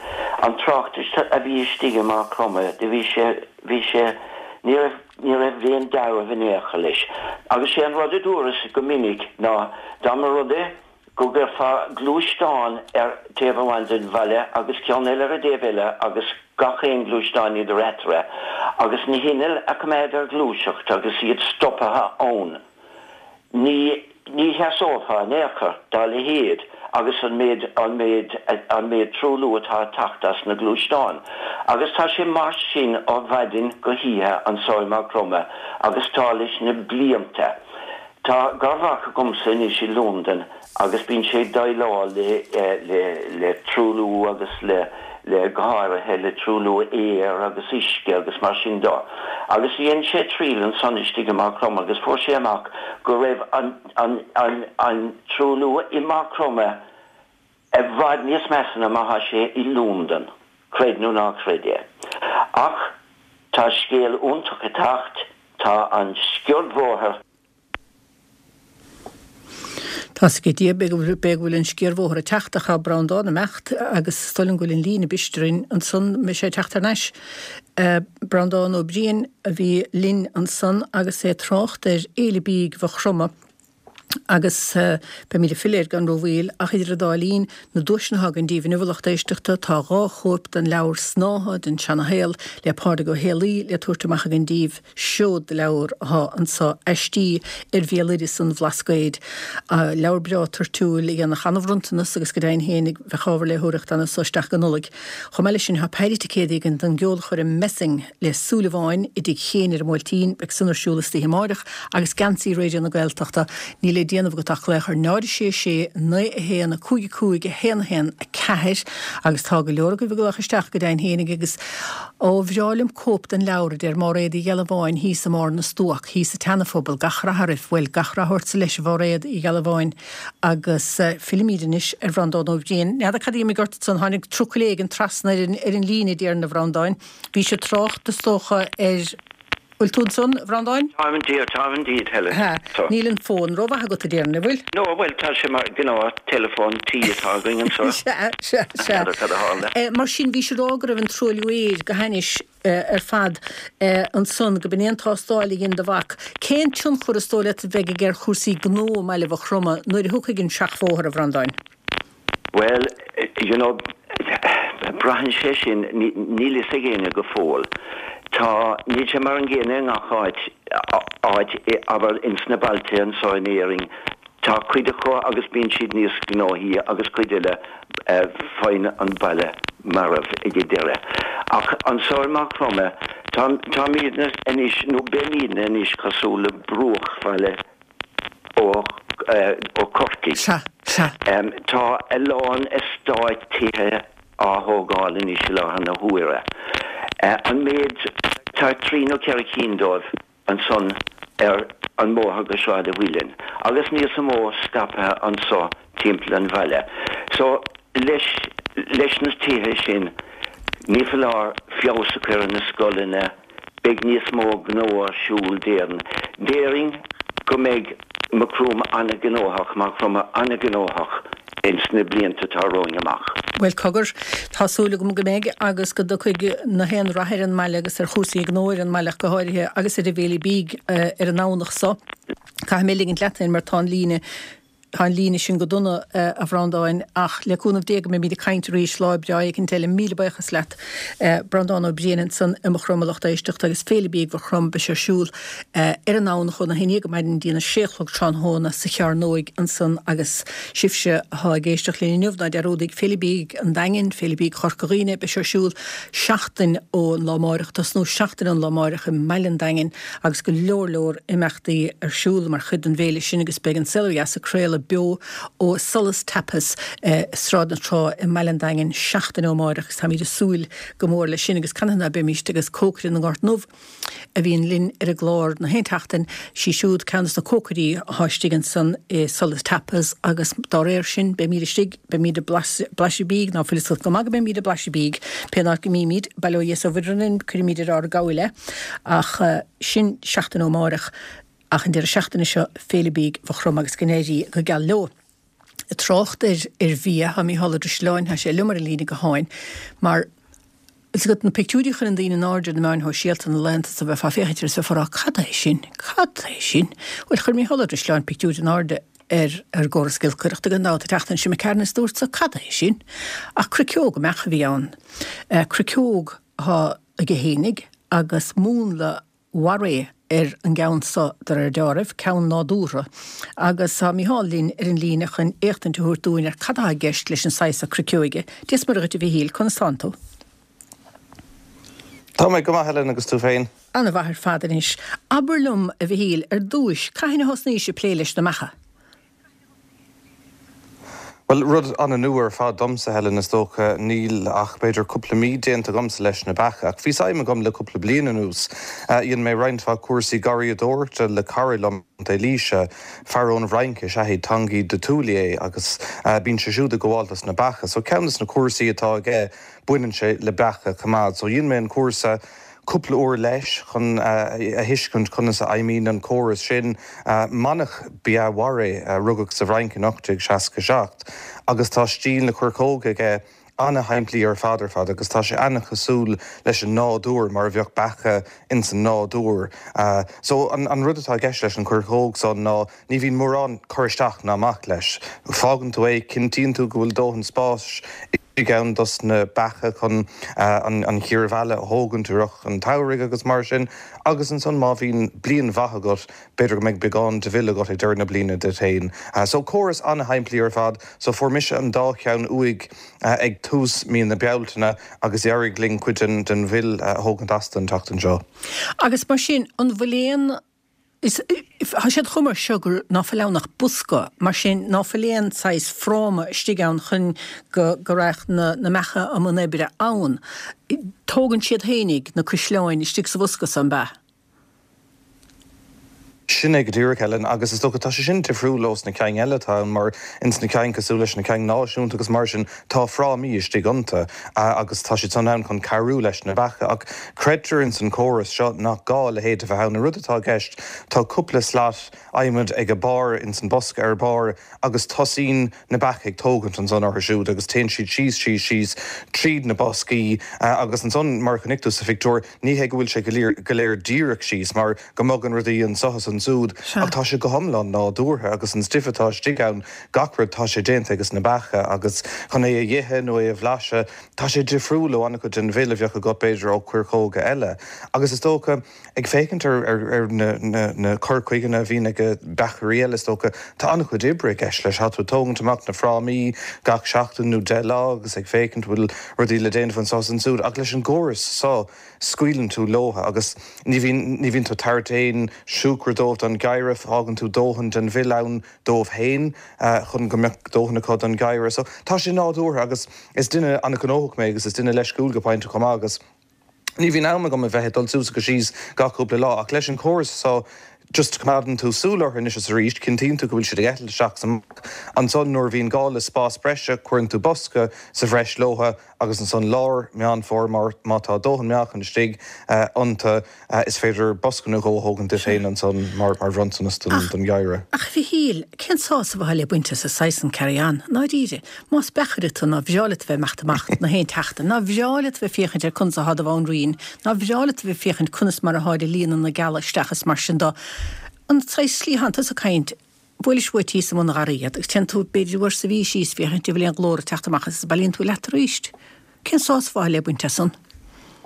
an trácht a bhí istigh i Maigh Chromtha, do bhí sé, bhí sé, ní raibh, ní raibh aon dealramh in aon chor leis. Agus sé an rud a dúras go minic ná dá mba rud é go gcuirfeá gluaisteán ar taobh amháin den bhaile agus ceann eile ar an dtaobh eile agus gach aon gluaisteán idir eatarthu agus na hinnill a choimeád ar ghluaiseacht agus iad stoptha ann, ní ní sheasófá in aon chor dá leithéid agus an méid an méid an méid truailliú atá ag teacht as na gluaisteáin. Agus tá sé mar sin ó mhaidin go hoíche anso i Maigh Chromtha agus tá leis na blianta. Tá garmhac agamsa anois i Londain agus bíonn sé ag déileáil le le le truailliú agus le le go háirithe le truailliú aeir agus uisce agus mar sin de. Agus dhein sé triail ansan istigh i Maigh Chromtha agus fuair sé amach go raibh an an an an truailliú i Maigh Chromtha i bhfad níos measa ná mar atá sé i Londain, creid nó ná creid é. Ach tá scéal iontach ag teacht, tá an sciordbhóthar. Tá's ag Dia, b'fhéidir go bhfuil an sciarbhóthar ag teacht ach tá Breandán ag imeacht agus is dóigh liom go bhfuil an líne ag bristeadh orainn ansan, mbeidh sé ag teacht thar n-ais. Breandán Ó Briain a bhí linn ansan agus é ag trácht ar Fhéile Bídh Mhaigh Chromtha agus beimid ag filleadh air gan rómhoill ach idir an dá linn, Na duaiseanna atá againn daoibh inniu a lucht éisteachta, tá 2 chóip den leabhar Snáithe den Seana-Shaol le Pádraig Ó Héalaí le tabhairt amach againn daoibh. Seod de leabhar atá anso, aistí ar bhéaloideas an Bhlascaoid. Leabhar breá toirtiúil a dhéanfadh an-bhronntanas agus go deimhin féin bheadh ábhar léitheoireachta ann as so isteach go Nollaig. Chomh maith leis sin tá péire ticéadaí againn don gceolchoirm Messing le Súilleabháin i dTigh Chéin ar an mBuailtín, beidh san ar siúl istoíche amáireach, agus geansaí Raidió na Gaeltachta, níl le déanamh agat ach glaoch ar 0 6 6 9 1 5 5 1 1 4 agus tá go leor agaibh ag glaoch isteach go deimhin féinig agus Ó, bhreá liom cóip den leabhar, a deir Máiréad Uí Ghealbháin thíos i mBarr na Stuac, thíos sa tSeanaphobal, gach rath oraibh, bhuel, gach rath ortsa leis, a Mháiréad Uí Ghealbháin. Agus fillimid anois ar Bhreandán Ó Briain. N'fheadar cad a d'imigh ort ansan, tháinig trucail éigin trasna ar an, ar an líne, déarfainn, a Bhreandáin. Bhís ag trácht, is dócha, ar. Bhfuil tú ansan, a Bhreandáin? Táim indeed, táim indeed, Helen. Ha, níl an fón rómhaith agat, a déarfainn, an bhfuil? No, bhuel, tá sé mar gnáth-teileafón tí atá againn anseo. Sea, sea, sea. N'fheadar cad a tharla. Mar sin, bhís ag rá go raibh an truailliú aeir go hainnis ar fad ansan, go b'in é an tástáil a dhein do mhac. Cén tionchar is dóigh leat a bheidh aige ar chúrsaí gnó i mbaile Mhaigh Chromtha nuair a thiocfaidh an seachbhóthar, a Bhreandáin? Bhuel, you know, braitheann sé sin, níl fhios ag éinne go fóill. Tá, níl sé mar an gcéanna i ngach áit, áit, abair ins na bailte anso in Éirinn, tá cuid acu agus bíonn siad níos gnóthaí agus cuid eile faigheann an baile marbh ag an deireadh. Ach anso i Maigh Chromtha, tá, táimidne anois, nó beimidne anois cosúil le bruachbhaile ó Chorcaigh. Sea, sea. Tá a lán eastáit tithe á thógáil anois i láthair na huaire. An méid, tá trí nó ceithre cinn dóibh ansan ar an mbóthar go Sráid a' Mhuilinn agus níos mó scaipthe anso timpeall an bhaile. So, leis, leis na tithe sin, ní foláir feabhas a chur ar na scoileanna, Beidh níos mó gnó ar siúl déarfainn. Déarfainn go mbeidh Macroom an-ghnóthach, Maigh Chromtha an-ghnóthach. Ins na blianta atá romhainn amach. Bhuel, cogar, tá súil agam go mbeidh agus go dtiocfaidh na haon rath ar an mbaile agus ar chúrsaí gnó ar an mbaile ach go háirithe agus ar an bhFéile Bídh ar an nDomhnach so. Caithfidh mé ligint leat féin mar tá an líne, tá an líne sin go dona, a Bhreandáin, ach le cúnamh Dé go mbeimid ag caint arís lá breá éicint eile. Míle buíochas leat. Breandán Ó Briain ansan i Maigh Chromtha a lucht éisteachta agus Féile Bídh Mhaigh Chromtha beidh sé ar siúl ar an nDomhnach óna haon dhéag ar maidin go dtí a sé a chlog tráthnóna sa Chearnóig ansan agus sibhse atá ag éisteacht linn inniu ná dearúdaigh Féile Bídh an Daingin, Féile Bídh Chorca Dhuibhne, beidh sé ar siúl seachtain ón lá amáireach, tosnú seachtain ón lá amáireach i mbaile an Daingin agus go leor leor imeachtaí ar siúl mar chuid den bhféile sin agus beidh An Saol Ó Dheas ag craoladh beo ó Solas Tapas i Sráid na Trá i mbaile an Daingin seachtain ó amáireach agus táimid ag súil go mór leis sin agus canathaobh ná beimíst agus cócaire na nGort nDubh a bhíonn linn ar an gclár na haon tseachtain, sí siúd ceann des na cócairí atá istigh ansan i Solas Tapas agus dá réir sin beimíd istigh, beimíd ag blaiseadh bídh, ná fuil fhios agat go maith go mbeimíd ag blaiseadh bídh, pé áit go mbímíd, bail ó Dhia is ó Mhuire orainn, cuirfimíd ar ár gcabhail é, ach sin seachtain ó amáireach. Ach an deireadh seachtaine seo, Féile Bídh Mhaigh Chromtha agus go n-éirí go geal leo. Ag trácht ar ar bhia, tá Mícheál Ó Drisleáin, tá sé liom ar an líne gutháin, mar is agat na pictiúirí a chuireann daoine in airde ar na meáin shóisialta na laethanta so bheifeá ag féachaint air is bheifeá ag rá cad é sin? Cad é sin? Bhuel, chuir Mícheál Ó Drisleáin pictiúr in airde ar ar gcóras giolcaireachta gan dabht an tseachtain seo imigh tharainn is dúrt-sa cad é sin? Ach cruiceog mbeach a bhí ann. Cruiceog atá aige fhéinig agus múnla Warré ar an gceann so de réir deáraimh, ceann nádúrtha, agus tá Mícheál linn ar an líne chun éachtaint a thabhairt dúinn ar cad atá i gceist leis an saghas so cruiceoige. Dia is Muire dhuit a Mhichíl, conas tánn tú? Tá mé go maith Helen agus tú féin? Ana-mhaith ar fad anois. Abair liom, a Mhichíl, ar dtúis, cathain a thosnaís ag plé leis na mbeacha? Bhuel, rud an-nua ar fad domsa, Helen, is dócha. Níl ach b'fhéidir cúpla mí déanta agamsa leis na beacha, ach bhí suim agam le cúpla bliain anuas. Dhein mé roinnt mhaith cúrsaí garraíodóireachta le cara liom i gContae Laoise, fear ón bhFrainc is ea é, Tanguy de Toulier, agus bíonn sé siúd ag gabháil dos na beacha. So ceann des na cúrsaí atá aige, baineann sé le beacha chomh maith. So dhein mé an cúrsa. cúpla uair leis chun a thuiscint conas a fheidhmíonn an córas sin. Manach ba ea Warré, a rugadh sa bhFrainc in 1867, agus tá stíl na coirceoige aige ana-shimplí ar fad ar fad agus tá sé ana-chosúil leis an nádúr, mar a bheadh beacha ins an nádúr. So an rud atá i gceist leis an choirceog san ná ní bhíonn mórán cur isteach ná amach leis. Fágann tú é, cinntíonn tú go bhfuil dóthain spáis istigh ann dos na beacha chun an chíor mheala a thógaint i rith an tsamhraidh agus mar sin. Agus ansan má bhíonn bliain mhaith agat, b'fhéidir go mbeidh beagán de mhil agat ag deireadh na bliana duit féin. So córas an-shimplí ar fad. So fuair mise an dá cheann uaidh ag tús mí na Bealtaine agus d'éirigh linn cuid den mhil a thógaint astu an tseachtain seo. Agus mar sin, an bhfuil aon Is, tá siad chomh mar seo gur ná fuil ann ach bosca, mar sin ná fuil aon saghas fráma istigh ann chun go, go raghadh na, na mbeacha i mbun oibre ann. Tógann siad fhéinig na cuisleáin istigh sa bhosca so, an b'ea? Sin é go díreach, Helen, agus is dócha tá sé sin difriúil ós na cinn eile atá ann mar ins na cinn cosúil leis na cinn náisiúnta agus mar sin tá frámaí istigh iontu agus tá siad san ann chun cabhrú leis na beacha ach creidtear ins an córas seo nach gá a leithéid a bheith ann. An rud atá i gceist, tá cúpla slat adhmaid ag a barr ins an bosca ar barr agus tosaíonn na beacha ag tógaint ansan orthu siúd agus téann siad síos, síos, síos tríd na boscaí agus ansan mar a chonaic tú sa phictiúr, ní hé go bhfuil sé go léir, go léir díreach síos mar go mbogann rudaí anso is ansúd ach tá sé go hiomlán nádúrtha agus an stuif atá istigh ann, gach rud, tá sé déanta ages na beacha agus chun é a dh'ithe nó é a bhlaiseadh, tá sé difriúil ó an-chuid den mhil a bheadh agat b'fhéidir ó chuirceoga eile agus is dócha ag féachaint ar ar na na na cur chuigeanna a bhíonn ag beachairí eile is dócha tá an-chuid oibre i gceist leis. Tá tú ag tógaint amach na frámaí gach seachtain nó 10 lá agus ag féachaint bhfuil rudaí le déanamh anso is ansúd ach leis an gcóras so scaoileann tú leotha agus ní bhíonn ní bhíonn tú ag tabhairt aon siúcra dóibh don gheimhreadh, fágann tú dóthain den mhil ann dóibh féin chun go mbeadh dóthain acu don gheimhreadh. So tá sé nádúrtha agus is duine an-ghnóthach mé agus is duine leisciúil go pointe chomh maith agus ní bhíonn am agam a bheith ag dul suas agus síos gach cúpla lá ach leis an chóras so. Just coimeádann tú súil orthu anois is arís, cinntíonn tú go bhfuil siad ag eitilt isteach is amach. Ansan nuair a bhíonn gá le spás breise cuireann tú bosca sa bhreis leotha agus ansan lár Meán Fómhair má tá dóthain meáchain istigh iontu is féidir bosca nó dhó a thógaint duit féin ansan mar bhronntanas don gheimhreadh. Ach a Mhichíl, cén sásamh atá le baint as an saghas san carry on, ndáiríre? Más beachaire tú, nár bhreá leat a bheith ag imeacht amach na haon tseachtain, nár bhreá leat a bheith féachaint ar conas athá do bhanríon, nár bhreá leat a bheith féachaint conas mar atháid ag líonadh na gcealla isteach is mar sin do. An saghas slí atánn tusa ag caint, buailis uait thíos i mbun an gharraí iad agus téann tú b'fhéidir uair sa mhí síos féachaint an bhfuil aon ghlór ag teacht amach as is bailíonn tú leat arís. Cén sásamh atá le baint as san?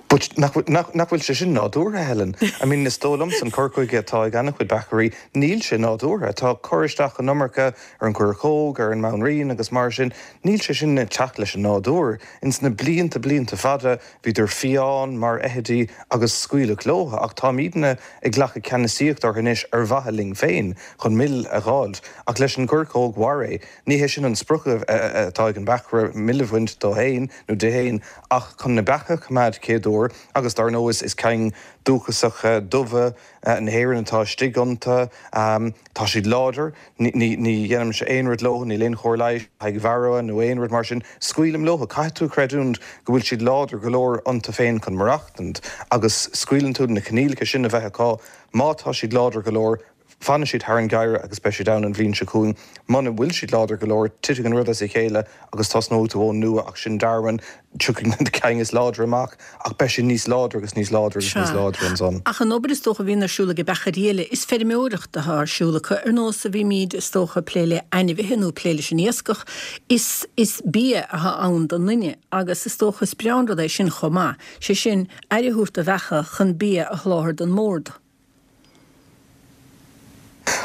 But nach bhfuil sé sin nádúrtha, Helen? I mean, is dóigh liomsa an cur chuige atá ag an-chuid beachairí, níl sé nádúrtha. Tá cur isteach an iomarca ar an gcoirceog, ar an mbanríon agus mar sin. Níl sé sin ag teacht leis an nádúr. Ins na blianta, blianta fada, bhíodar fiáin mar fheithidí agus scaoileadh leo. Ach táimidne ag glacadh ceannasaíocht orthu anois ar mhaithe linn féin, chun mil a dh'fháilt. Ach leis an gcoirceog Warré, Ní hé sin an sprioc atá ag an beachaire, mil a bhaint dó féin nó di féin, ach chun na beacha a choimeád céad uair, agus dar ndóigh is cinn dúchasacha dubha na hÉireann atá istigh iontu. Tá siad láidir, ní dhéanaimse aon rud leo, níl aon chóir leighis le haghaidh varroa nó aon rud mar sin. Scaoilim leo, caithfidh tú a chreidiúint go bhfuil siad láidir go leor iontu féin chun maireachtaint, agus scaoileann tú na coinníollacha sin a bheith acu, má tá siad láidir go leor, Fanfaidh siad thar an gheimhreadh agus beidh siad ann an bhliain seo chugainn. Muna bhfuil siad láidir go leor, titfidh an rud as a chéile agus tosnóidh tú ón nua ach sin Darwin, tiocfaidh na cinn is láidre amach ach beidh siad níos láidre agus níos láidre agus níos Sea. láidre ansan. Ach an obair is dócha a bhíonn ar siúl ag beachairí eile, is feirmeoireacht atá ar siúl acu, ar nós a bhímid is dócha ag plé le ainmhithe nó ag plé leis an iascach, is is bia atá ann don duine agus is dócha is breá an rud é sin chomh maith, sé sin, aire a thabhairt do bheacha chun bia a sholáthar don mbord.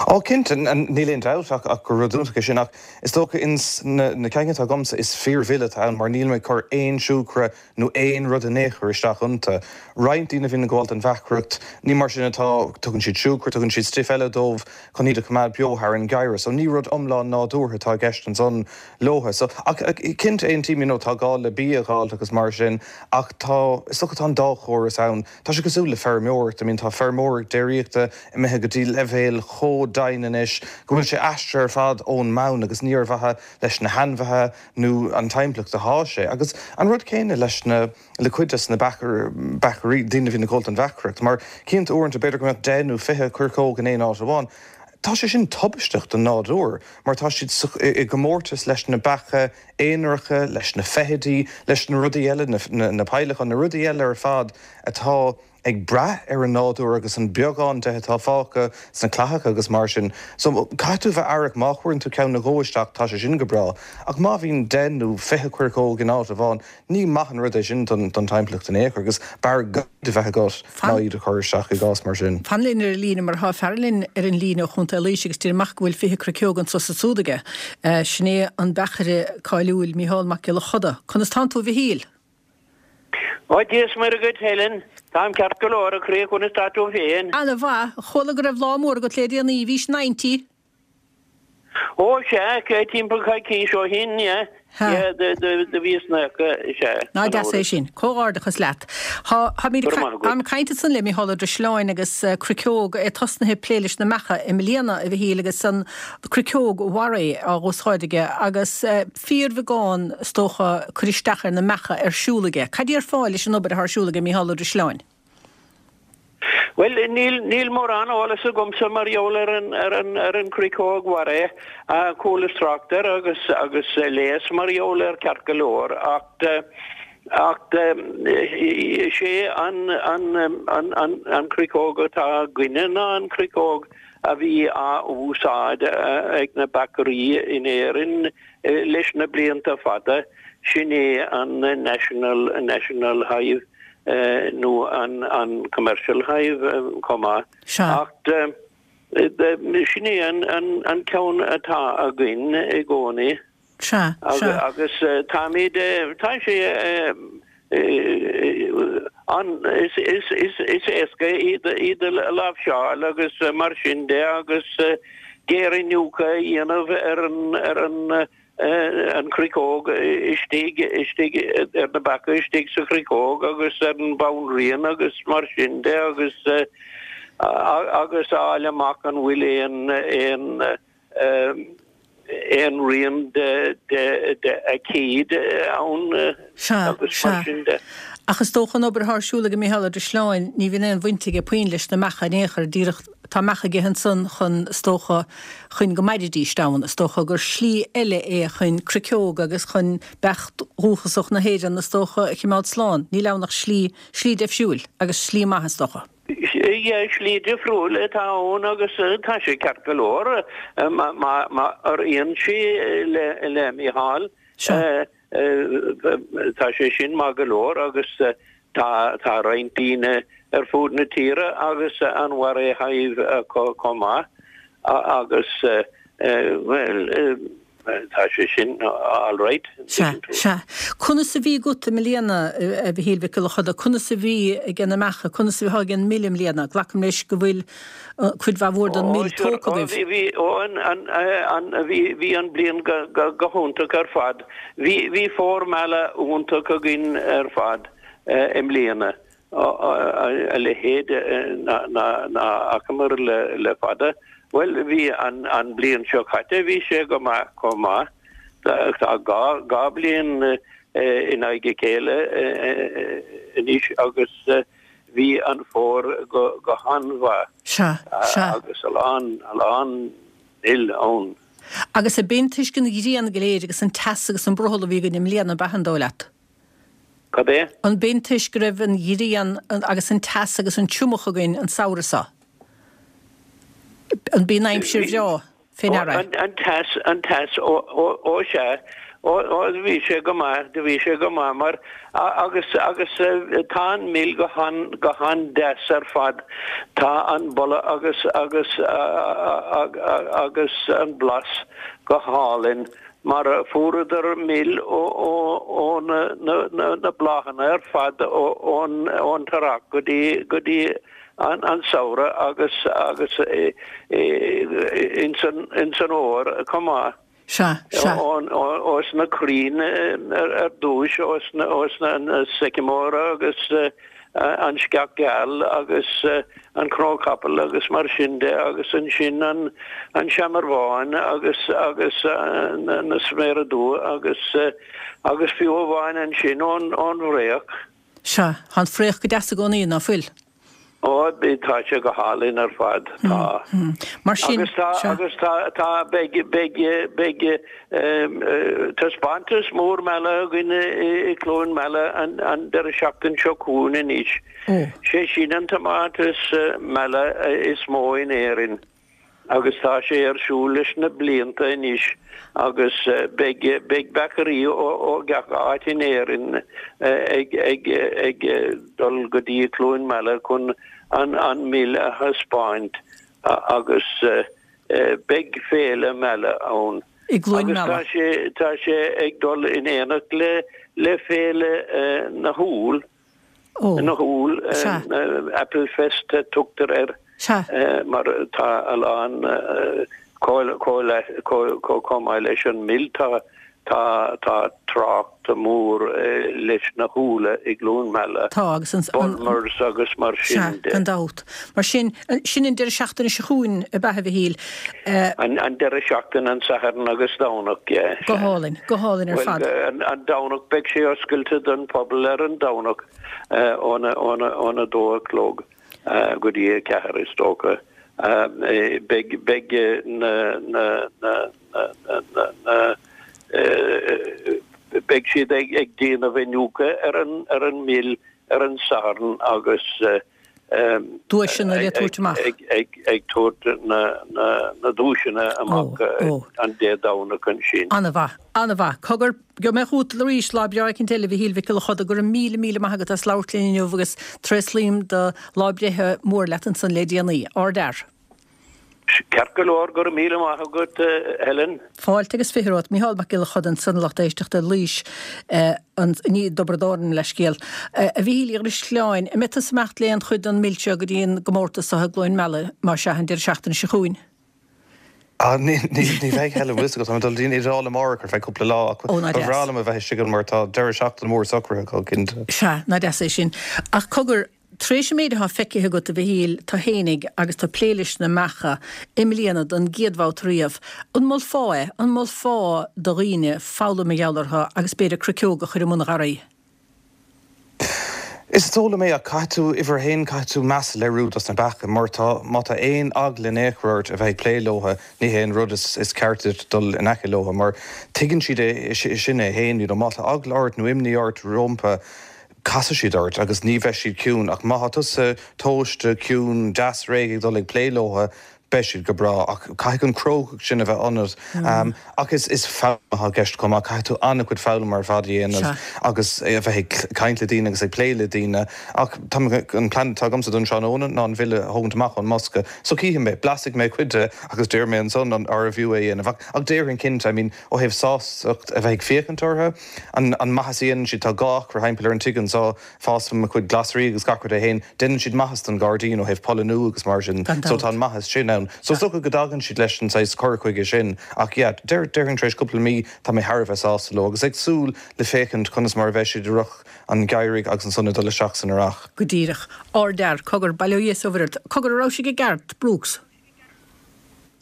Ó, cinnte, níl aon dabht ach gur rud iontach é sin, ach is dócha ins na cinn atá agamsa is fíor-mhil atá ann mar níl mé ag cur aon siúcra nó aon rud in aon chor isteach iontu. Roinnt daoine a bhíonn ag gabháil don bheachaireacht, ní mar sin atá, tugann siad siúcra, tugann siad stuif eile dóibh chun iad a choimeád beo thar an gheimhreadh. So ní rud iomlán nádúrtha atá i gceist ansan leotha. So, ach cinnte aontaím, you know, tá gá le bia a dh'fháilt agus mar sin ach tá, is dócha tá an dá chóras ann. Tá sé cosúil le feirmeoireacht. I mean tá feirmeoireacht déiríochta imithe go dtí leibhéal chomh domhain anois go bhfuil sé aistrithe ar fad ón mbonn agus ní ar mhaithe leis na hainmhithe nó an timpeallacht atá sé. Agus an rud céanna leis na, le cuid des na beachairí, daoine a bhíonn ag gabháil don bheachaireacht. Mar cinnte uaireanta b'fhéidir go mbeadh 10 nó 20 coirceog in aon áit amháin. Tá sé sin tubaisteach don nádúr mar tá siad i gcomórtas leis na beacha aonaracha, leis na feithidí, leis na rudaí eile, na peidhleacháin, na rudaí eile ar fad atá ag brath ar an nádúr agus an beagán de atá fágtha sna clathacha agus mar sin. So, caithfidh tú a bheith aireach, má chuireann tú ceann nó dhó isteach, tá sé sin go breá, ach má bhíonn deich nó 20 coirceog in áit amháin, Ní maith an rud é sin don timpeallacht in aon chor agus b'fhearr gan iad a bheith agat ná iad a chur isteach i gcás mar sin. Fan linn ar an líne mar tá fear linn ar an líne ó Chontae Laoise agus deirim amach go bhfuil 20 cruiceog anso is ansúd aige. Sin é an beachaire cáiliúil Mícheál Mac Giolla Choda. Conas tánn tú a Mhichíl? Ó Dia is Muire dhuit Helen. Táim ceart go leor a chroí conas tá tú féin? Ana mhaith. Chuala go raibh lá mór agat le déanaí, bhís 90? Ó sea, timpeall coicís ó shin, yeah, yeah, do bhíos 90, sea. Ná deas é sin. Comhghairdeachas leat. Tá, táimid ag, táim ag caint ansan le Mícheál Ó Drisleáin agus cruiceog, é tosnaithe ag plé leis na mbeacha i mbliana, a Mhichíl, agus an cruiceog Warré á dh'úsáid aige agus fíorbheagán, is dócha, cur isteach ar na mbeacha ar siúl aige. Cad déarfá leis an obair atá ar siúl aige Mícheál Ó Drisleáin? Bhuel, níl, níl mórán eolas agamsa mar gheall ar an, ar an, ar an chruiceog Warré. Chualas trácht air agus, agus léas mar gheall air ceart go leor ach, ach is é an, an, an, an, an chruiceog atá againne ná an chruiceog a bhí á úsáid ag na beachairí in Éirinn leis na blianta fada, sin é an National, National Hive. nó an Commercial Hive chomh maith. Ach sin é an ceann atá againn i gcónaí. Agus táimid, tá sé an, is éasca iad a láimhseáil agus mar sin de agus géariniúchadh a dhéanamh ar an an chruiceog istigh, istigh ar na beacha istigh sa chruiceog agus ar an bhanríon agus mar sin de agus. Agus a fháil amach an bhfuil aon aon aon rian de de de aicíd ann Sea, agus mar sea. sin de. Ach is dócha an obair atá ar siúl ag Mícheál Ó Drisleáin, ní bhíonn aon bhaint aige puinn leis na beacha in aon chor, díreach tá beacha aige ansan chun, is dócha, chun go mairidís ann, is dócha gur slí eile é chun cruiceog agus chun beach dhúchasach na hÉireann, is dócha, a chimeád slán. Níl ann ach slí, slí deifriúil agus slí maith, is dócha. Yeah, slí difriúil atá ann agus tá sé ceart go leor má oireann sé le Mícheál. Tá sé sin maith go leor agus tá tá roinnt daoine ar fud na tíre agus an Warre Hive acu chomh maith agus bhuel tá sé sin alright. Sea, sea. Conas a bhí agat i mbliana, a Mhichíl Mhic Giolla Choda, conas a bhí ag na mbeacha, conas a bhí ag an mil i mbliana? Glacaim leis go bhfuil cuid mhaith mhór den mil tógtha agaibh. Ó, bhí, ó, an, an, an, bhí, bhí an bliain go, go, go hiontach ar fad. Bhí, bhí fómhar meala iontach againn ar fad i mbliana. A leithéid ná, ná, ná fhacamar le, le fada. Bhuel, bhí an, an bliain seo caite, bhí sé go maith chomh maith. Tá gá, gá bliain in aghaidh a chéile anois agus Bhí an fómhar go han-mhaith. Sea, sea. Agus a lán, a lán mil ann. Agus ab in toisc an ghrian go léir agus an teas agus an brothall a bhí againn i mbliana, ab ea an dóigh leat? Cad é? An b'in toisc go raibh an ghrian agus an teas agus an triomach againn an samhradh seo? An b'in aimsir bhreá? fé ndeara. An teas, an teas, ó, ó, ó sea, ó, ó, do bhí sé go maith, do bhí sé go maith mar, agus, agus tá an mil go han, go han-deas ar fad, tá an boladh agus, agus, agus an blas go hálainn mar fuaireadar mil ó, ó, ó na, na, na, na bláthanna ar fad ó, ón, ón t-earrach go dtí, go dtí an samhradh agus agus ins an fhómhar chomh maith. Sea, sea. Ós na crainn ar dtúis, ós na sycamore agus an sceach gheal agus an cnó capaill agus mar sin de agus ansin an seamair bhán agus agus na sméara dubha agus agus fiú amháin ansin ón bhfraoch. Sea, tá an fraoch go deas i gcónaí, ná fuil? Ó, tá sé go hálainn ar fad, tá. Mar sin, Agus tá, sea. agus tá, tá, beidh, beidh, beidh taispeántas mór meala againn i gCluain Meala an, an deireadh seachtain seo chugainn anois. Ó. Sé sin an taispeántas meala is mó in Éirinn. agus tá sé ar siúl leis na blianta anois agus beidh beidh beachairí ó gach áit in Éirinn ag ag ag dul go dtí Cluain Meala chun an an mil a thaispeáint agus beidh féile meala ann. I gCluain Agus tá Meala. sé tá sé ag dul in éineacht le le féile na hÚll. Ó. Na hÚll, Sea. Apple Fest a tugtar air. Sea. Mar tá a lán chomh maith leis an mil tá tá tá trácht mór leis na húlla i gCluain Meala. Tá agus an. Bulmers agus mar Sea, sin de. gan dabht. Mar sin, sin an deireadh seachtaine seo chugainn ab ea, a Mhichíl? An deireadh seachtaine, an Satharn agus Domhnach, yeah. Go hálainn, go hálainn ar fad. Bhuel, an Domhnach, beidh sé oscailte don phobal ar an Domhnach óna dó a chlog go dtí a ceathair is dócha. Beidh, beidh na, na, na, na, na, na, beidh siad ag déanamh iniúchadh ar an, ar an mil ar an Satharn agus Duaiseanna le tabhairt amach. Ag tabhairt na duaiseanna amach an Dé Domhnach ansin. An-mhaith. An-mhaith. Cogar, gheobhaidh mé chugat arís lá breá eicínt eile, a Mhichíl Mhic Giolla Choda. Go raibh míle, míle maith agat as labhairt linn inniu agus tréaslaím do lá breithe mór leat ansan le déanaí. Ardfhear. Ceart go leor, go raibh míle maith agat Helen. Fáilte agus fiche romhat. Mícheál Mac Giolla Choda ansan a lucht éisteachta Laois i dTiobraid Árann leithscéal. A Mhichíl Uí Dhrisleáin, an mbeidh tusa ag imeacht le aon chuid den mil seo go dtí an gcomórtas seo i gCluain Meala, má sea, an deireadh seachtaine seo chugainn? Ah, ní bheidh Helen, bhfuil fhios agat, tá mé ag dul go dtí an Iodáil amárach ar feadh cúpla lá ach Ó, ná ba deas. bhreá liom a bheith istigh ann mar tá deireadh seachtaine mór socraithe acu, cinnte. Sea, ná deas é sin. Ach cogar. Tar éis an méid atá feicthe agat, a Mhichíl, tú fhéinig agus tú ag plé leis na beacha i mbliana don gcéad bhabhta riamh, an molfá é? An molfá do dhaoine foghlaim mar gheall orthu agus b'fhéidir cruiceog a chur i mbun an gharraí? Is dóigh liom é ach caithfidh tú, uimhir a haon, caithfidh tú meas a léiriú dos na beacha mar tá, má tá aon eagla in aon chor ort a bheith ag plé leotha, ní hé an rud is ceart duit dul in aice leotha mar tuigeann siad é sin é fhéin, you know, má tá eagla ort nó imní ort rómpa, casfaidh siad ort agus ní bheidh siad ciúin ach má tá tusa tomhaiste, ciúin, deas réidh ag dul ag plé leotha, beidh siad go breá ach caithfidh an crógacht sin a bheith ionat. Ach is is foghlaim atá i gceist chomh maith, caithfidh tú an-chuid foghlaim ar fad a dhéanamh agus a bheith ag caint le daoine agus ag plé le daoine. Ach tá mé, an plean atá agamsa don tráthnóna ná an mhil a thógaint amach ón mbosca so cífidh mé, blasfaidh mé cuid de agus déarfaidh mé ansan an arbh fhiú é a dhéanamh. Ach ach déarfainn cinnte, I mean ó thaobh sástacht a bheith ag féachaint orthu, an an maitheas a dhéanann siad, tá 2 acra thimpeall ar an tigh anso, Fásaim mo chuid glasraí agus gach rud é fhéin. Déanann siad maitheas don ghairdín ó thaobh polliniú agus mar sin. Gan So dabht. tá an maitheas sin ann. So is dócha go dtagann siad leis an saghas cur chuige sin. Ach yeah, deir, déarfainn tar éis cúpla mí tá mé thar a bheith sásta leo agus ag súil le féachaint conas mar a bheidh siad i rith an gheimhridh agus ansan ag dul isteach san earrach. Go díreach. Ardfhear. Cogar, bail ó Dhia is ó Mhuire ort. Cogar, an raibh sibh i gceart, Brooks?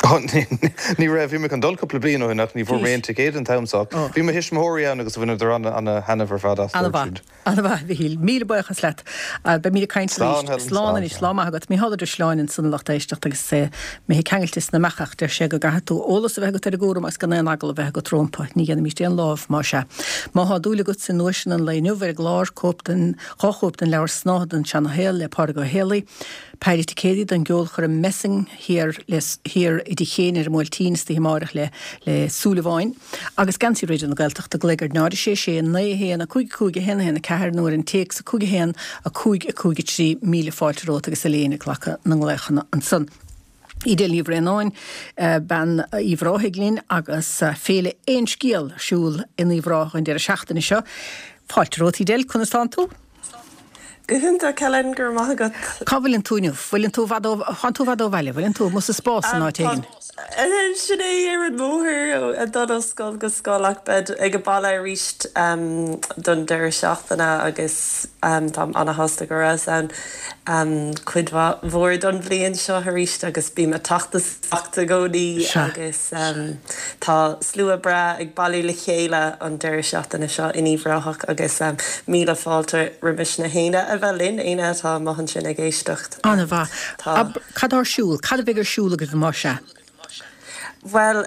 Ní raibh. Bhí mé chun dul cúpla bliain ó shin ach ní bhfuair mé aon ticéad an t-am so. Bhí mo thuismitheoirí ann agus bhaineadar ana-thaitneamh ar fad as, dúirt siad. Ana-mhaith, a Mhichíl. Míle buíochas leat. Beimid ag caint Slán, arís. Helen. Slán Slán, anois. slán. Lá maith agat. Micheál Ó Drisleáin ansan a lucht éisteachta agus mé ag ceangailte sna mbeacha ach deir sé go gcaithfidh tú eolas a bheith agat ar an gcúram agus gan aon eagla a bheith agat rómpa. Ní dhéanfaimíst aon lámh más ea. Má thá dúil agat i nduaiseanna an lae inniu ar an gclár, cóip den, dha chóip den leabhar Snáithe den Seana-Shaol le Pádraig Ó Héalaí, Péire ticéadaí don gceolchoirm Messing thiar le thiar i dTigh Chéin ar an mBuailtín istoíche amáireach le le Súilleabháin agus geansaí Raidió na Gaeltachta glaoigh ar 0 6 6 9 1 5 5 1 1 4 nó ar an téacs 5 1 5 5 3 Míle fáilte romhat agus Elaine ag glacadh na nglaochanna ansan. Edel Ní Bhraonáin, bean Uíbh Ráthaigh linn agus Féile Aon Scéal ar siúl in Uíbh Ráthach an deireadh seachtaine seo. Fáilte romhat Edel, conas tánn tú? Go hiontach Helen, go raibh maith agat. Cá bhfuileann tú inniu? Bhfuileann tú i bhfad ó, thánn tú i bhfad ó bhaile, bhfuileann tú amuigh sa spás in áit éigin? Sin é, ar an mbóthar ag dul ó scoil go scoil ach bead ag an baile arís don deireadh seachtaine agus táim ana-shásta go rabhas ann cuid mhaith mhór don bhliain seo arís agus bím ag teacht isteach i gcónaí agus tá slua breá ag bailiú le chéile an deireadh seachtaine seo in Uíbh Ráthach agus míle fáilte roimis na héinne a bheith linn, éinne atá amuigh ansin ag éisteacht. An-mhaith. Cad tá ar siúl? Cad a bheidh ar siúl agaibh más ea? Bhuel,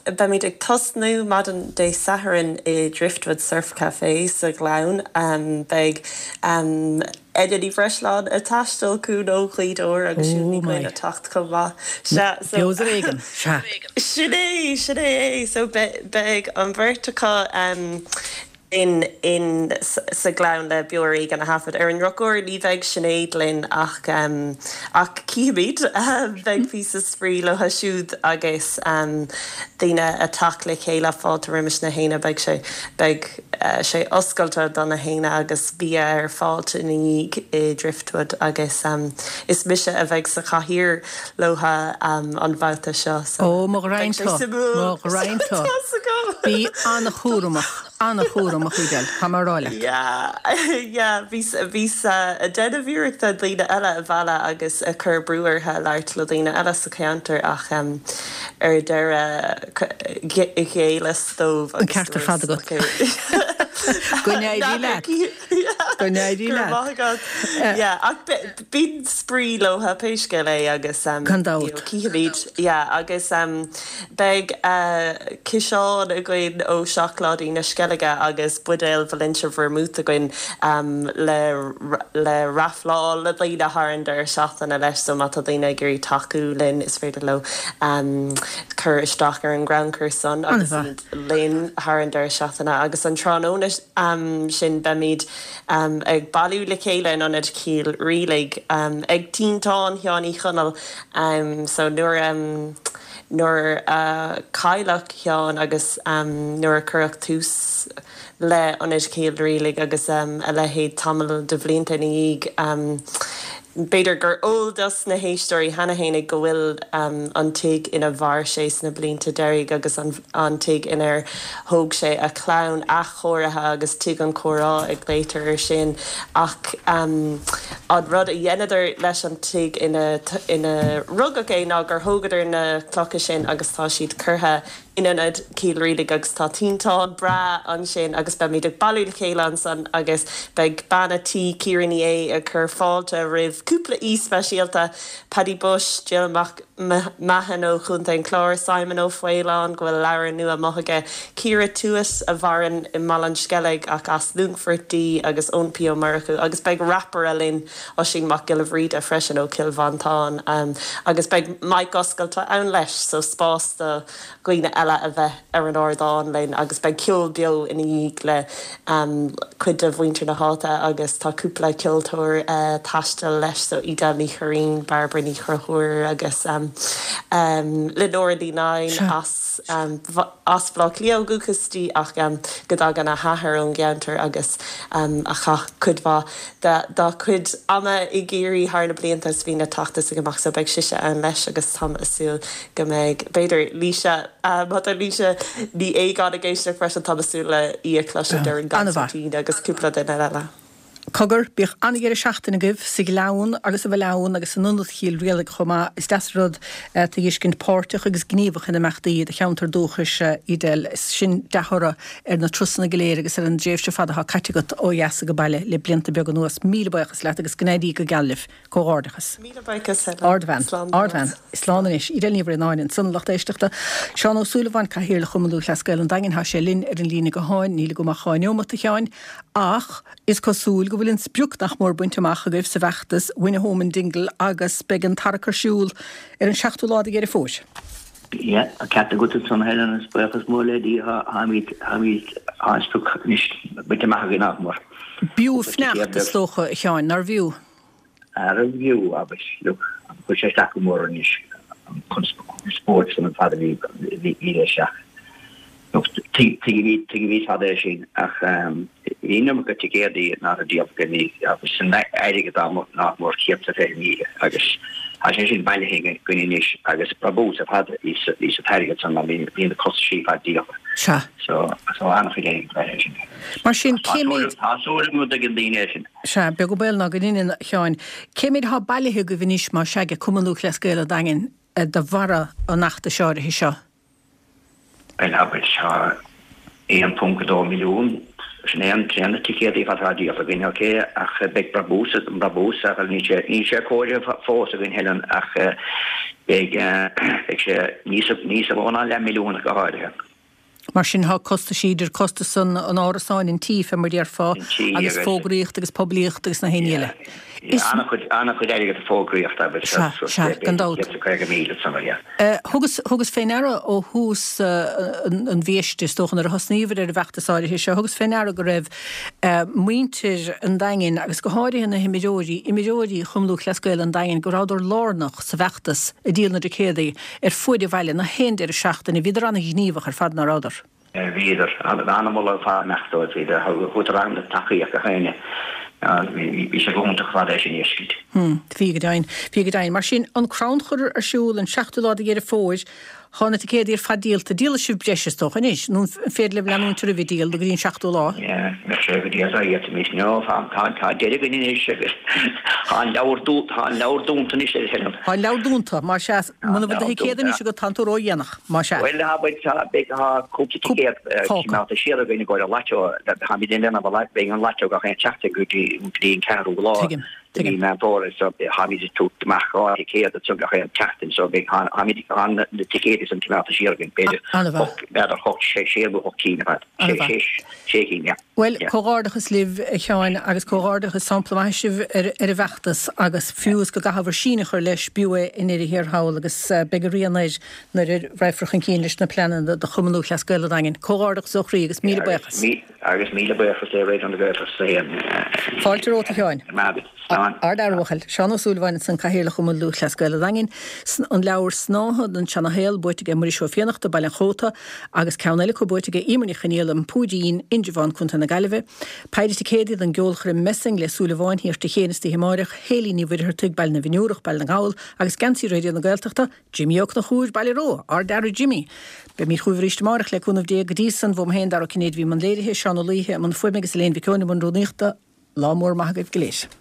beimid ag tosnú maidin Dé Sathairn i Driftwood Surf Café sa Ghleann. Beidh Enya Ní Bhreisleáin ag taisteal chugainn ó Ghaoth Dobhair agus Siún Ní Dhuinn ag teacht chomh maith. Sea, so. Beo is ar éigean, sea. Sin é, sin é é. So beidh an bheirt acu in, in, sa Ghleann le Beo Ar Éigean a thaifead. Ar an ndrochuair ní bheidh Sinéad linn ach, ach cífimid. Beidh píosa spraoi leo siúd agus daoine ag teacht le chéile, fáilte roimis na héinne. Beidh sé, beidh. sé oscailte do na héinne agus bia ar fáilt ina dhiaidh i Driftwood agus is mise a bheidh sa chathaoir leotha an babhta seo so Ó, mo ghraidhin beidh sé tú, suimiúil. mo ghraidhin tú. Tá's agam. Bí an-chúramach, an-chúramach, Edel, tá mé a rá leat. Yeah, yeah, bhíos, bhíos ag déanamh iarrachta daoine eile a mhealladh agus ag cur brú orthu labhairt le daoine eile sa cheantar ach ar deireadh ghéilleas dóibh An agus ceart ar fad agat. Go n-éirí leat. Go n-éirí Go raibh leat. maith agat. Yeah, ach bíonn spraoi leotha pé scéal é agus Gan dabht. cífimid. Yeah, agus beidh ciseán againn ó Seacláidí na Sceilge agus buidéal Valencia Vermouth againn le le rafláil le daoine thar an deireadh seachtaine leis so má tá daoine ag iarraidh tacú linn is féidir leo cur isteach ar an gcrannchur san agus An-mhaith. iad linn thar an deireadh seachtaine agus an tráthnóna sin beimid ag bailiú le chéile in Ionad Chill Rialaig ag Tinteán Sheáin Uí Chonaill so nuair nuair a cailleadh Seán agus nuair a cuireadh tús le Ionad Chill Rialaig agus a leithéid tamall de bhlianta ina dhiaidh. B'fhéidir gur eol dos na héisteoirí cheana fhéinig go bhfuil an tigh ina mhair sé sna blianta deiridh agus an tigh inar thóg sé a chlann athchóirithe agus Tigh an Chomhrá a ghlaotar air sin ach an rud a dheineadar leis an tigh ina ina rugadh é ná gur thógadar na clocha sin agus tá siad curtha in Ionad Chill Rialaig agus tá tinteán breá ansin agus beimid ag bailiú le chéile ansan agus beidh bean a' tí, Ciara Ní É, ag cur fáilte roimh cúpla aoi speisialta, Paddy Bushe, Jill Mac Mahon ó Chontae an Chláir, Simon Ó Faoláin, go bhfuil leabhar nua amuigh aige, Ciara Tuite a mhaireann i mBaile an Sceilg ach as Longfort di agus Eoin P Ó Murchú agus beidh rapaire linn, Oisín Mac Giolla Bhríde freisin ó Chill Mhantáin agus beidh mic oscailte ann leis so spás do dhaoine eile a bheith ar an ardán linn agus beidh ceol beo ina dhiaidh le cuid de mhuintir na háite agus tá cúpla ceoltóir taistil leis so Edel Ní Churraoin, Bairbre Ní Chonchúir agus Lenora Ní Leighin as as Baile Átha Cliath ó dhúchas di ach go dtagann a hathair ón gceantar agus a chaith cuid mhaith dá cuid ama i gCiarraí thar na blianta is bhíonn a teacht is ag imeacht so beidh sise ann leis agus táim a súil go mbeidh, b'fhéidir, Laoise, má tá Laoise Ní Aogáin ag éisteacht freisin, táim a súil le í a chloiseadh ar an gconsairtín agus cúpla duine eile. Cogar, bíodh an-dheireadh seachtaine agaibh sa Ghleann agus sa Bhaile Abhann agus in Ionad Chill Rialaig chomh maith. Is deas an rud tú a fheiscint páirteach agus gníomhach in imeachtaí i do cheantar dúchais, Edel. Is sin dea-thoradh ar na turasanna go léir agus ar an dtréimhse fada atá caite agat ó dheas age baile le blianta beaga anuas. Míle buíochas leat agus go n-éirí go geal libh. Comhghairdeachas. Míle buíochas, Helen. Ardbhean. Slán Ardbhean. Slán anois. Edel Ní Bhraonáin ansan, a lucht éisteachta. Seán Ó Súilleabháin, Cathaoirleach Chumann Lúthchleas Gael an Daingin, tá sé linn ar an líne gutháin. Níl agam ach 2 neomat, a Sheáin, ach is cosúil go bhfuil an sprioc nach mór bainte amach agaibh sa bhfeachtas Win a Home in Dingle agus beidh an tarrac ar siúl ar an 7ú lá de Dheireadh Fómhair. Yeah, an ceart agat ansan, Helen, agus buíochas mór le Dia, táimid, táimid, tá an sprioc anois bainte amach againn, nach mór. B'fhiú fanacht, is dócha, a Sheáin, nárbh fhiú? Arbh fhiú, agus look, chuir sé isteach go mór anois an conspóid san an fad a bhí, bhí leis ach, look, tuigimid, tuigimid fad é sin ach bhí an iomarca ticéadaí nach raibh díolta againn agus san airgead nach mór 120,000 agus tá sé sin bailithe againn anois agus brabús ar fad a bhí sa t-airgead san mar bhí na costaisí ar fad díolta. Sea. So, so an-chuid airgid bailithe sin. Mar sin, cé méid. Tá súil agam go dtuigeann daoine é sin. Sea, beag an baol ná go ndeineann, a Sheáin. Cé méid atá bailithe agaibh anois, más ea, ag Cumann Lúthchleas Gael an Daingin de bharra an fheachtais áirithe seo? Bhuel, abair, tá 1.2 milliún, sin é an sin na ticéadaí ar fad atá díolta againn, ok, ach beidh brabús, an brabús, ach níl sé, níl sé comhairthe fós againn, Helen, ach beidh, beidh sé níos, níos mó ná leath milliún ach go háirithe. Mar sin tá costaisí, idir costas an árasáin, an tí, fé mar a déarfá, agus fógraíocht agus poiblíocht agus na haon ní eile. Is. An-chuid, an-chuid airgead do fógraíocht agus. Sea, sea, gan dabht. 150,000 san, yeah. Thugas, thugas fé ndeara ó thús an mhiaiste, is dócha, nuair a thosnaíobhair ar an bhfeachtas áirithe seo, thugas fé ndeara go raibh muintir an Daingin, agus go háirithe na himreoirí, imreoirí Chumann Lúthchleas Gael an Daingin, go rabhadar lárnach sa bhfeachtas ag díol na dticéadaí ar fuaid an bhaile, na haon deireadh seachtaine. Bhíodar an-ghníomhach ar fad, ná rabhadar? Bhíodar. An-mholadh ar fad amach dóibh. Bhíodar. Thugadar an-tacaíocht gach éinne. Bhí sé go hiontach ar fad é sin a fheiscint. Bhí go deimhin. Bhí go deimhin. Mar sin, an crannchur ar siúl an seachtú lá de Dheireadh Fómhair, Tá na ticéadaí ar fad díolta. Díolfaidh sibh breis, is dócha, anois, nó an féidir libh leanúint oraibh ag díol go dtí an seachtú lá? Yeah, bheadh sé go dtí as aghaidh anois. No, tá, tá, tá deireadh againn anois agus tá an leabhar dú, tá an leabhar dúnta anois a Helen. Tá an leabhar dúnta, más ea. Muna bhfuil do thicéad anois agat, tánn tú ródhéanach, más ea. Bhuel, tá, bhuel, tá, beidh, tá cúpla ticéad coimeádta siar againn i gcomhair an lató. Táimid ag déanamh an, beidh an lató gach aon tseachtain go dtí, go dtí an ceathrú lá. Tuigim. De mhí Meán Fómhair so táimid ag tabhairt amach 2 thicéad ansan gach aon tseachtain so beidh táimid tá na ticéid san coimeádta siar againn b'fhéidir ocht b'fhéidir ocht sé sé nó ocht cinn ar fad sé sé sé cinn yeah. Bhuel, comhghairdeachas libh, a Sheáin, agus comhghairdeachas, sampla maith sibh ar ar an bhfeachtas agus fiú is go gcaithfear síneadh a chur leis, b'fhiú é i ndeireadh thiar thall agus beidh a rian air nuair a raghfar chun cinn leis na pleananna do Chumann Lúthchleas Gael an Daingin. Comhghairdeachas ó chroí agus míle buíochas. Agus míle buíochas le Raidió na Gaeltachta 1. Fáilte romhat, a Sheáin. Maith agat. Slán. Seán. Ard-fhear, a bhuachaill. Seán Ó Súilleabháin ansan, Cathaoirleach Chumann Lúthchleas Gael an Daingin. An leabhar Snáithe don tSeana-Shaol buaite aige Muiris Ó Fiannachta, Baile an Chóta, agus ceann eile acu buaite aige Emer Ní Chonaola, An Púidín, Indreabhán, Contae na Gaillimhe. Péire ticéadaí don gceolchoirm Messing le Súil Amháin Thiar Tigh Chéin istoíche amáireach, Héilín Ní Mhuircheartaigh, Baile na bhFionnúrach, Baile na nGall, agus Geansaí Raidió na Gaeltachta, Jimí Ó Conchúir, Baile Rua, Ard-fhear a Jimí! Beimid chugaibh arís amárach le cúnamh Dé. Go dtí san, uaim féin, Dara Ó Cinnéide a bhí i mbun léirithe, Seán Ó Laoithe i mbun fuaime agus Elaine Mhic Eoin i mbun rúnaíochta. Lá mór maith agaibh go léir.